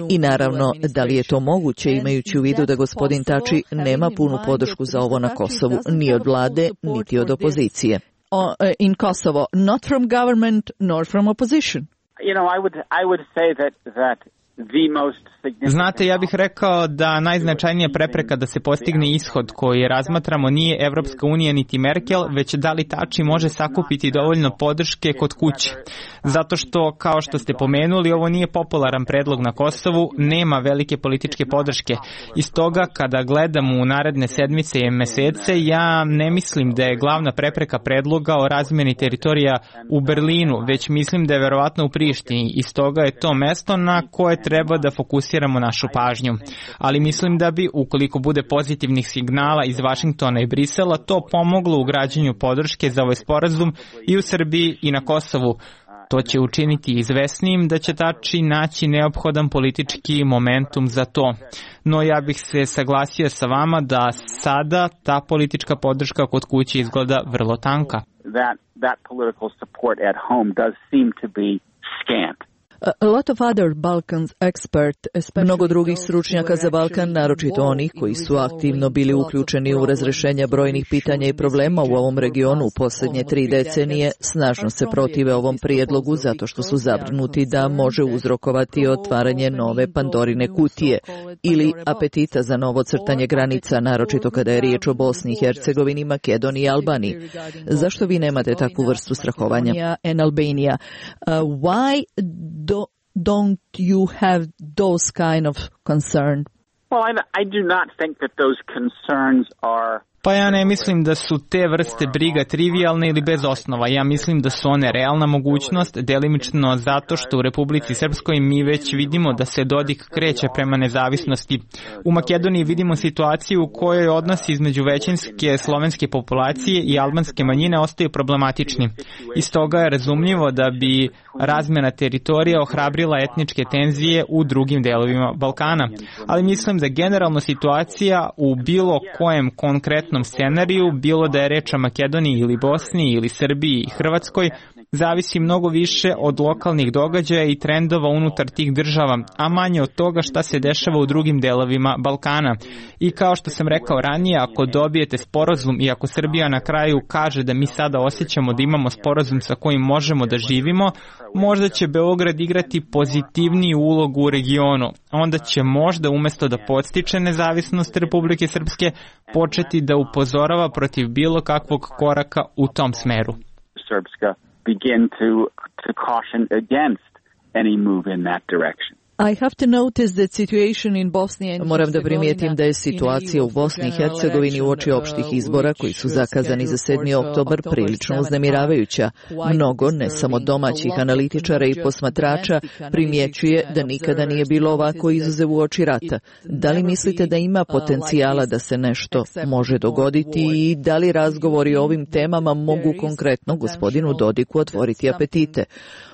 I naravno da li je to moguće imajući u vidu da gospodin Tači nema punu podršku za ovo na Kosovu ni od vlade, niti od opozicije. Uh, in Kosovo, not from government, nor from opposition. You know, I would I would say that that Znate, ja bih rekao da najznačajnija prepreka da se postigne ishod koji razmatramo nije Evropska unija niti Merkel, već da li Tači može sakupiti dovoljno podrške kod kuće. Zato što, kao što ste pomenuli, ovo nije popularan predlog na Kosovu, nema velike političke podrške. I stoga, kada gledam u naredne sedmice i mesece, ja ne mislim da je glavna prepreka predloga o razmjeni teritorija u Berlinu, već mislim da je verovatno u Prištini. I stoga je to mesto na koje treba da fokusiramo našu pažnju. Ali mislim da bi, ukoliko bude pozitivnih signala iz Vašingtona i Brisela, to pomoglo u građenju podrške za ovaj sporazum i u Srbiji i na Kosovu. To će učiniti izvesnijim da će Tači naći neophodan politički momentum za to. No ja bih se saglasio sa vama da sada ta politička podrška kod kuće izgleda vrlo tanka. That, that political support at home does seem to be scant. A lot of other Balkans expert, mnogo drugih stručnjaka za Balkan, naročito onih koji su aktivno bili uključeni u razrešenje brojnih pitanja i problema u ovom regionu u posljednje tri decenije, snažno se protive ovom prijedlogu zato što su zabrinuti da može uzrokovati otvaranje nove Pandorine kutije ili apetita za novo crtanje granica, naročito kada je riječ o Bosni i Hercegovini, Makedoniji i Albaniji. Zašto vi nemate takvu vrstu strahovanja? And Albania. Uh, why do, don't you have those kind of concern? Well, I, I do not think that those concerns are Pa ja ne mislim da su te vrste briga trivialne ili bez osnova. Ja mislim da su one realna mogućnost, delimično zato što u Republici Srpskoj mi već vidimo da se Dodik kreće prema nezavisnosti. U Makedoniji vidimo situaciju u kojoj odnosi između većinske slovenske populacije i albanske manjine ostaju problematični. I stoga je razumljivo da bi razmjena teritorija ohrabrila etničke tenzije u drugim delovima Balkana. Ali mislim da generalno situacija u bilo kojem konkretnom scenariju, bilo da je reč o Makedoniji ili Bosni ili Srbiji i Hrvatskoj, zavisi mnogo više od lokalnih događaja i trendova unutar tih država, a manje od toga šta se dešava u drugim delovima Balkana. I kao što sam rekao ranije, ako dobijete sporazum i ako Srbija na kraju kaže da mi sada osjećamo da imamo sporazum sa kojim možemo da živimo, možda će Beograd igrati pozitivniju ulogu u regionu. Onda će možda umesto da podstiče nezavisnost Republike Srpske početi da upozorava protiv bilo kakvog koraka u tom smeru. Srpska begin to to caution against any move in that direction. I have to notice that situation in Bosnia and Moram da primijetim da je situacija u Bosni i Hercegovini uoči opštih izbora koji su zakazani za sedmi oktobar prilično uznemiravajuća. Mnogo, ne samo domaćih analitičara i posmatrača, primjećuje da nikada nije bilo ovako izuzev uoči rata. Da li mislite da ima potencijala da se nešto može dogoditi i da li razgovori o ovim temama mogu konkretno gospodinu Dodiku otvoriti apetite?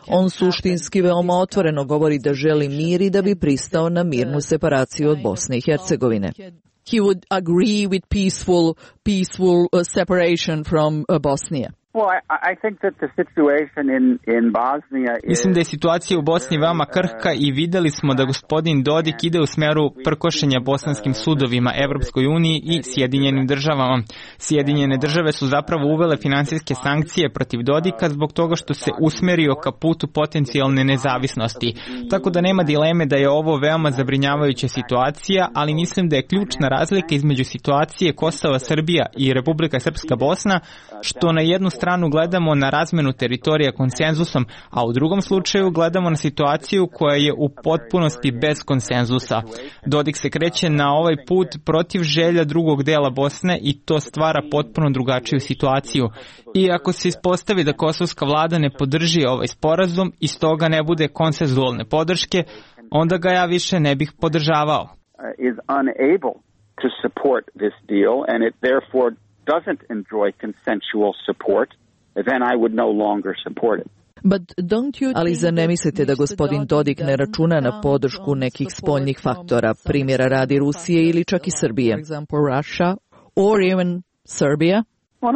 On suštinski veoma otvoreno govori da želi mir i da bi pristao na mirnu separaciju od Bosne i Hercegovine. He would agree with peaceful, peaceful uh, separation from uh, Bosnia. Well, I, I think that the situation in, in Bosnia is... Mislim da je situacija u Bosni veoma krhka i videli smo da gospodin Dodik ide u smeru prkošenja bosanskim sudovima, Evropskoj uniji i Sjedinjenim državama. Sjedinjene države su zapravo uvele finansijske sankcije protiv Dodika zbog toga što se usmerio ka putu potencijalne nezavisnosti. Tako da nema dileme da je ovo veoma zabrinjavajuća situacija, ali mislim da je ključna razlika između situacije Kosova, Srbija i Republika Srpska Bosna, što na jednu stranu stranu gledamo na razmenu teritorija konsenzusom, a u drugom slučaju gledamo na situaciju koja je u potpunosti bez konsenzusa. Dodik se kreće na ovaj put protiv želja drugog dela Bosne i to stvara potpuno drugačiju situaciju. I ako se ispostavi da kosovska vlada ne podrži ovaj sporazum i stoga ne bude konsenzualne podrške, onda ga ja više ne bih podržavao. Is unable to support this deal and it therefore doesn't enjoy consensual support, then I would no longer support it. But don't you Ali zar ne mislite da gospodin Dodik ne računa na podršku nekih spoljnih faktora, primjera radi Rusije ili čak i Srbije? For example, Russia or even Serbia? Well,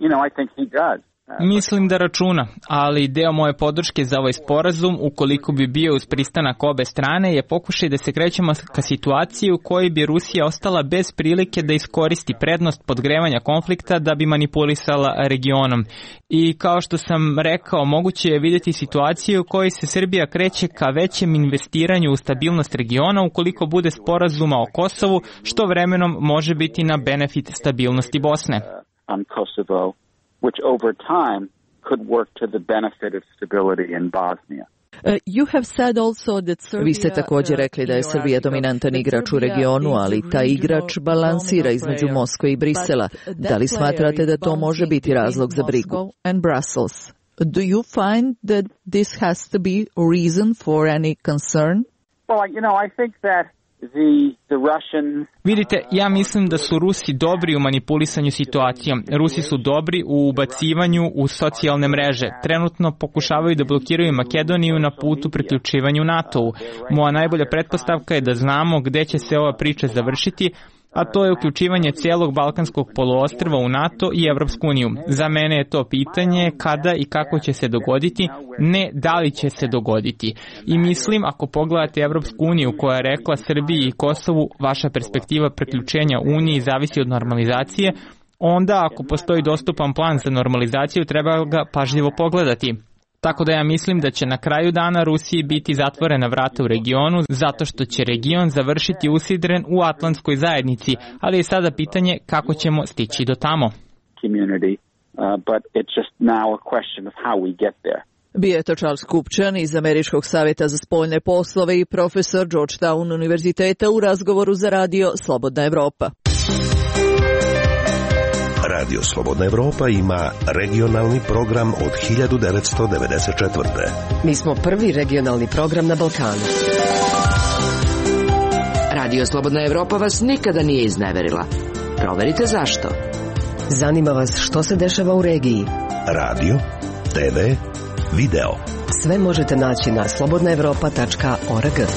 you know, I think he does. Mislim da računa, ali deo moje podrške za ovaj sporazum, ukoliko bi bio uz pristanak obe strane, je pokušaj da se krećemo ka situaciji u kojoj bi Rusija ostala bez prilike da iskoristi prednost podgrevanja konflikta da bi manipulisala regionom. I kao što sam rekao, moguće je vidjeti situaciju u kojoj se Srbija kreće ka većem investiranju u stabilnost regiona ukoliko bude sporazuma o Kosovu, što vremenom može biti na benefit stabilnosti Bosne. On Kosovo, which over time could work to the benefit of stability in Bosnia. Uh, you have said also that Serbia, Vi ste također rekli da je Srbija dominantan igrač u regionu, ali taj igrač balansira između Moskve i Brisela. Da li smatrate da to može biti razlog za brigu? And Brussels. Do you find that this has to be a reason for any concern? Well, you know, I think that The, the Russians... Vidite, ja mislim da su Rusi dobri u manipulisanju situacijom. Rusi su dobri u ubacivanju u socijalne mreže. Trenutno pokušavaju da blokiraju Makedoniju na putu priključivanju NATO-u. Moja najbolja pretpostavka je da znamo gde će se ova priča završiti, a to je uključivanje cijelog Balkanskog poluostrva u NATO i Evropsku uniju. Za mene je to pitanje kada i kako će se dogoditi, ne da li će se dogoditi. I mislim, ako pogledate Evropsku uniju koja je rekla Srbiji i Kosovu, vaša perspektiva priključenja Uniji zavisi od normalizacije, onda ako postoji dostupan plan za normalizaciju, treba ga pažljivo pogledati. Tako da ja mislim da će na kraju dana Rusiji biti zatvorena vrata u regionu zato što će region završiti usidren u atlantskoj zajednici, ali je sada pitanje kako ćemo stići do tamo. Bio je to Charles Kupčan iz Američkog savjeta za spoljne poslove i profesor Georgetown univerziteta u razgovoru za radio Slobodna Evropa. Radio Slobodna Evropa ima regionalni program od hiljadu devetsto devedeset četvrte. Mi smo prvi regionalni program na Balkanu. Radio Slobodna Evropa vas nikada nije izneverila. Proverite zašto. Zanima vas što se dešava u regiji. Radio, te ve, video. Sve možete naći na slobodna evropa tačka org.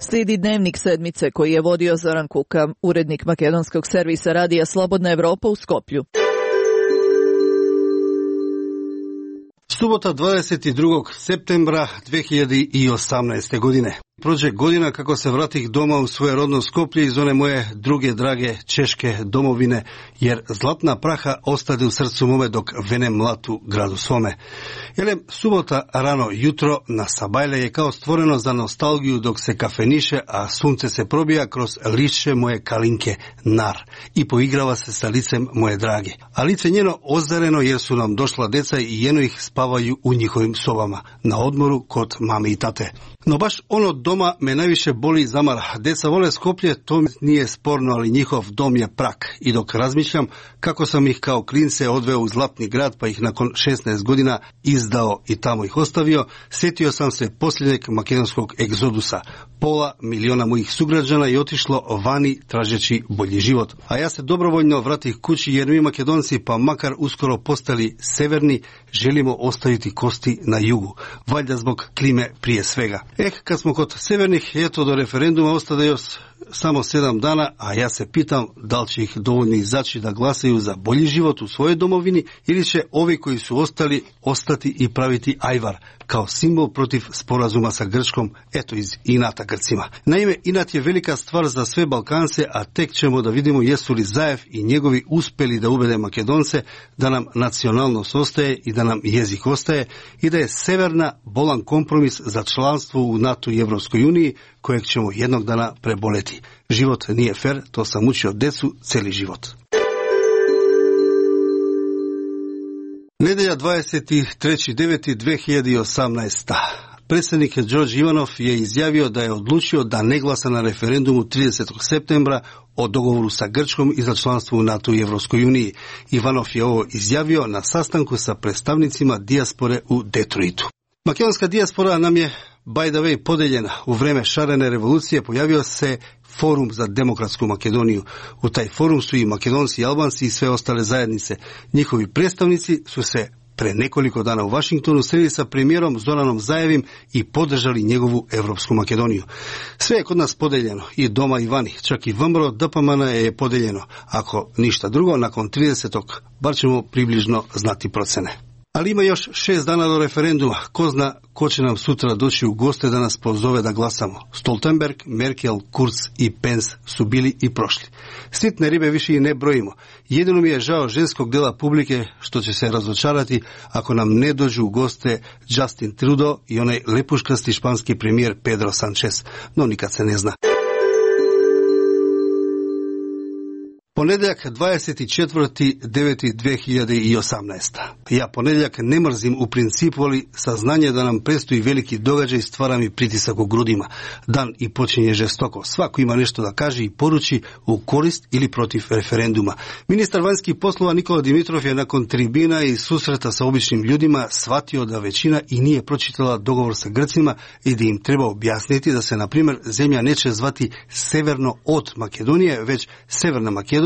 Slijedi dnevnik sedmice koji je vodio Zoran Kuka, urednik makedonskog servisa radija Slobodna Evropa u Skoplju. Subota dvadeset drugog septembra dve hiljade osamnaeste. godine. Prođe godina kako se vratih doma u svoje rodno Skoplje iz one moje druge drage češke domovine, jer zlatna praha ostade u srcu mome dok venem mlatu gradu svome. Jelem, subota rano jutro na Sabajle je kao stvoreno za nostalgiju dok se kafeniše, a sunce se probija kroz lišće moje kalinke nar i poigrava se sa licem moje drage. A lice njeno ozareno jer su nam došla deca i jeno ih spavaju u njihovim sobama, na odmoru kod mame i tate. No baš ono doma me najviše boli zamara. Deca vole Skoplje, to nije sporno, ali njihov dom je prak. I dok razmišljam kako sam ih kao klince odveo u zlatni grad, pa ih nakon šesnaest godina izdao i tamo ih ostavio, sjetio sam se posljednjeg makedonskog egzodusa. Pola miliona mojih sugrađana je otišlo vani tražeći bolji život. A ja se dobrovoljno vratih kući jer mi Makedonci, pa makar uskoro postali severni, želimo ostaviti kosti na jugu. Valjda zbog klime prije svega. Eh, kad smo kod severnih, eto do referenduma ostade još samo sedam dana, a ja se pitam da li će ih dovoljno izaći da glasaju za bolji život u svojoj domovini ili će ovi koji su ostali ostati i praviti ajvar kao simbol protiv sporazuma sa Grčkom, eto iz inata Grcima. Naime, inat je velika stvar za sve Balkance, a tek ćemo da vidimo jesu li Zaev i njegovi uspeli da ubede Makedonce da nam nacionalnost ostaje i da nam jezik ostaje i da je severna bolan kompromis za članstvo u NATO i Evropskoj uniji kojeg ćemo jednog dana preboleti. Život nije fer, to sam učio decu celi život. Nedelja dvadeset treći deveti dve hiljade osamnaeste. Predsjednik Đorđe Ivanov je izjavio da je odlučio da ne glasa na referendumu tridesetog septembra o dogovoru sa Grčkom i za članstvo u NATO i Evropskoj uniji. Ivanov je ovo izjavio na sastanku sa predstavnicima dijaspore u Detroitu. Makedonska dijaspora nam je by the way podeljena. U vreme šarene revolucije pojavio se Forum za demokratsku Makedoniju. U taj forum su i Makedonci i Albanci i sve ostale zajednice. Njihovi predstavnici su se pre nekoliko dana u Vašingtonu sreli sa premijerom Zoranom Zaevim i podržali njegovu Evropsku Makedoniju. Sve je kod nas podeljeno, i doma i vani, čak i V M R O D P M N je podeljeno. Ako ništa drugo, nakon tridesetog bar ćemo približno znati procene. Ali ima još šest dana do referenduma. Ko zna ko će nam sutra doći u goste da nas pozove da glasamo. Stoltenberg, Merkel, Kurz i Pence su bili i prošli. Sitne ribe više i ne brojimo. Jedino mi je žao ženskog dela publike što će se razočarati ako nam ne dođu u goste Justin Trudeau i onaj lepuškasti španski premijer Pedro Sanchez. No nikad se ne zna. Ponedjeljak dvadeset četvrti deveti dve hiljade osamnaeste. Ja ponedjeljak ne mrzim u principu, ali saznanje da nam predstoji veliki događaj stvara mi pritisak u grudima. Dan i počinje žestoko. Svako ima nešto da kaže i poruči u korist ili protiv referenduma. Ministar vanjskih poslova Nikola Dimitrov je nakon tribina i susreta sa običnim ljudima shvatio da većina i nije pročitala dogovor sa Grcima i da im treba objasniti da se, na primjer, zemlja neće zvati severno od Makedonije, već Severna Makedonija,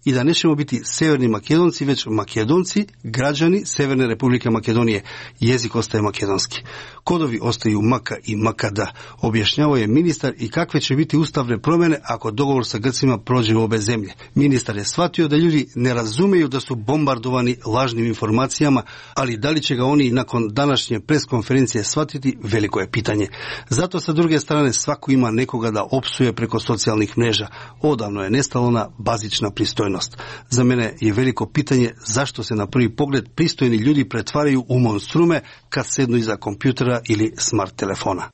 i da nećemo biti severni Makedonci, već Makedonci, građani Severne Republike Makedonije. Jezik ostaje makedonski. Kodovi ostaju maka i makada, objašnjavao je ministar, i kakve će biti ustavne promjene ako dogovor sa Grcima prođe u obe zemlje. Ministar je shvatio da ljudi ne razumeju da su bombardovani lažnim informacijama, ali da li će ga oni nakon današnje preskonferencije shvatiti, veliko je pitanje. Zato sa druge strane svako ima nekoga da opsuje preko socijalnih mreža. Odavno je nestalo na bazična pristojnost. Za mene je veliko pitanje zašto se na prvi pogled pristojni ljudi pretvaraju u monstrume kad sednu iza kompjutera ili smart telefona.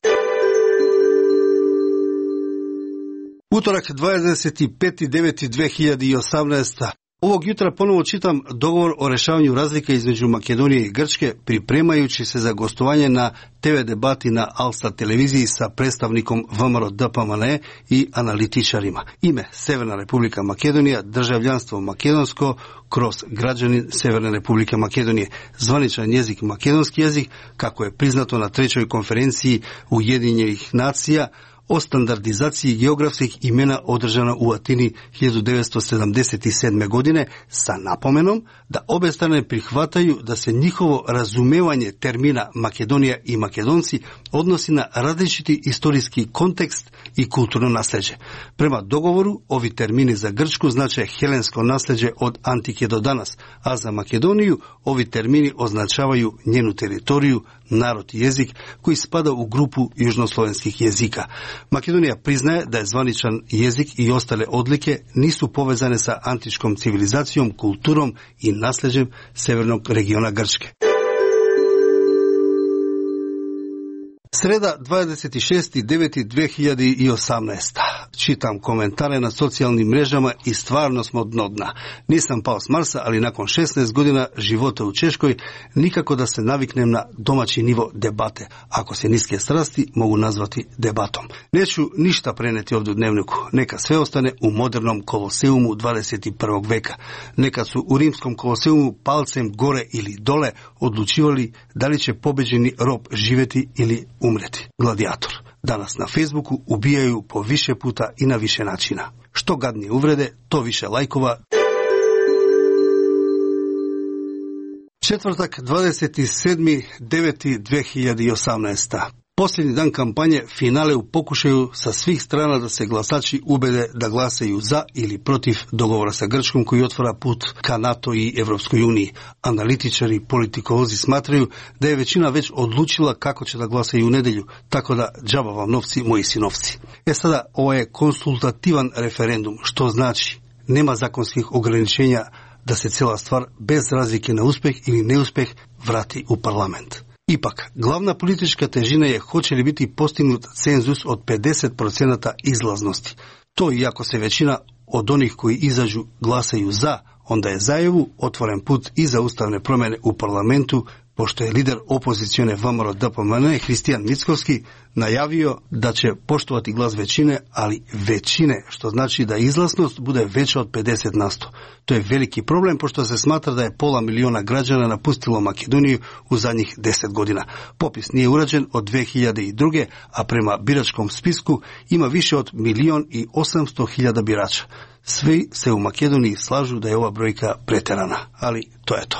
Utorak dvadeset peti deveti dve hiljade osamnaeste. Ovog jutra ponovo čitam dogovor o rešavanju razlika između Makedonije i Grčke, pripremajući se za gostovanje na te ve debati na Alsat televiziji sa predstavnikom V M R O D P M N i analitičarima. Ime Severna Republika Makedonija, državljanstvo makedonsko kroz građanin Severne Republike Makedonije, zvaničan jezik makedonski jezik, kako je priznato na trećoj konferenciji Ujedinjenih nacija o standardizaciji geografskih imena održana u Atini hiljadu devetsto sedamdeset sedme. godine sa napomenom da obe strane prihvataju da se njihovo razumevanje termina Makedonija i Makedonci odnosi na različiti istorijski kontekst i kulturno nasleđe. Prema dogovoru, ovi termini za Grčku znače helensko nasleđe od antike do danas, a za Makedoniju ovi termini označavaju njenu teritoriju, narod i jezik koji spada u grupu južnoslovenskih jezika. Makedonija priznaje da je zvaničan jezik i ostale odlike nisu povezane sa antičkom civilizacijom, kulturom i nasleđem severnog regiona Grčke. Sreda dvadeset šesti deveti dve hiljade osamnaeste. Čitam komentare na socijalnim mrežama i stvarno smo dno dna. Nisam pao s Marsa, ali nakon šesnaest godina života u Češkoj nikako da se naviknem na domaći nivo debate. Ako se niske strasti mogu nazvati debatom. Neću ništa preneti ovdje u dnevniku. Neka sve ostane u modernom koloseumu dvadeset prvog veka. Neka su u rimskom koloseumu palcem gore ili dole odlučivali da li će pobeđeni rob živjeti ili umreti. Gladijator. Danas na Facebooku ubijaju po više puta i na više načina. Što gadnije uvrede, to više lajkova. Četvrtak dvadeset sedmi deveti dve hiljade osamnaeste. Posljednji dan kampanje, finale u pokušaju sa svih strana da se glasači ubede da glasaju za ili protiv dogovora sa Grčkom koji otvara put ka NATO i Evropskoj uniji. Analitičari i politikozi smatraju da je većina već odlučila kako će da glasaju u nedjelju, tako da džaba vam novci, moji sinovci. E sada, ovo je konsultativan referendum, što znači nema zakonskih ograničenja da se cijela stvar bez razlike na uspjeh ili neuspjeh vrati u parlament. Ipak, glavna politička težina je hoće li biti postignut cenzus od pedeset procenata izlaznosti. To iako se većina od onih koji izađu glasaju za, onda je za E U otvoren put i za ustavne promjene u parlamentu, pošto je lider opozicione V M R O D P M N Hristijan Mickovski najavio da će poštovati glas većine, ali većine, što znači da izlaznost bude veća od pedeset posto. To je veliki problem, pošto se smatra da je pola miliona građana napustilo Makedoniju u zadnjih deset godina. Popis nije urađen od dve hiljade druge. a prema biračkom spisku ima više od milion i osamsto hiljada birača. Svi se u Makedoniji slažu da je ova brojka preterana, ali to je to.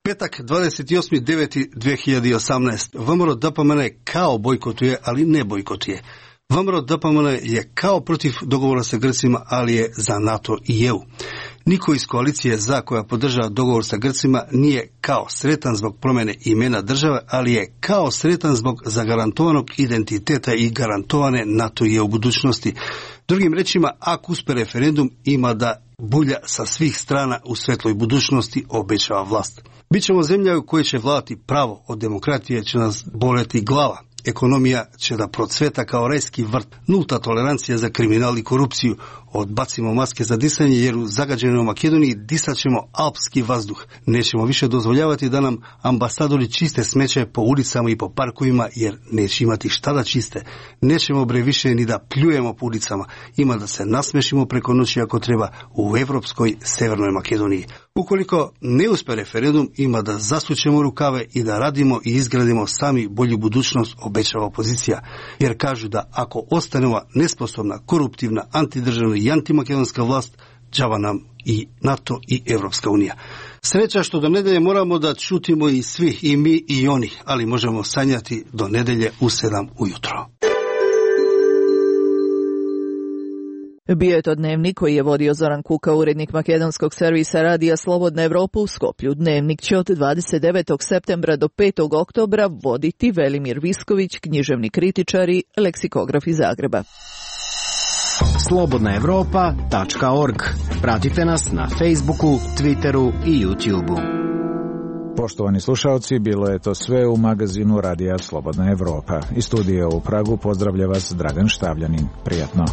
Petak dvadeset osmi deveti dve hiljade osamnaeste. V M R O D P M N kao bojkotuje, ali ne bojkotuje. V M R O D P M N je kao protiv dogovora sa Grcima, ali je za NATO i E U. Niko iz koalicije za koja podržava dogovor sa Grcima nije kao sretan zbog promjene imena države, ali je kao sretan zbog zagarantovanog identiteta i garantovane NATO i E U budućnosti. Drugim rečima, ako uspe referendum, ima da bulja sa svih strana u svetloj budućnosti, obećava vlast. Bićemo zemlja u kojoj će vladati pravo, od demokratije će nas boleti glava. Ekonomija će da procveta kao rajski vrt, nulta tolerancija za kriminal i korupciju. Odbacimo maske za disanje jer u zagađenoj Makedoniji disat ćemo alpski vazduh. Nećemo više dozvoljavati da nam ambasadori čiste smeće po ulicama i po parkovima jer neće imati šta da čiste. Nećemo bre više ni da pljujemo po ulicama. Ima da se nasmešimo preko noći ako treba u evropskoj Severnoj Makedoniji. Ukoliko ne uspe referendum, ima da zasučemo rukave i da radimo i izgradimo sami bolju budućnost, obećava opozicija. Jer kažu da ako ostane ova nesposobna, koruptivna, antidržavna i antimakedonska vlast, džava nam i NATO i Evropska unija. Sreća što do nedelje moramo da čutimo i svi, i mi i oni, ali možemo sanjati do nedelje u sedam ujutro. Bio je to dnevnik koji je vodio Zoran Kuka, urednik makedonskog servisa Radija Slobodna Evropa u Skoplju. Dnevnik će od dvadeset devetog septembra do petog oktobra voditi Velimir Visković, književni kritičar i leksikograf iz Zagreba. slobodna evropa tačka org. Pratite nas na Facebooku, Twitteru i YouTubeu. Poštovani slušalci, bilo je to sve u magazinu Radija Slobodna Evropa. Iz studija u Pragu pozdravlja vas Dragan Štavljanin. Prijatno.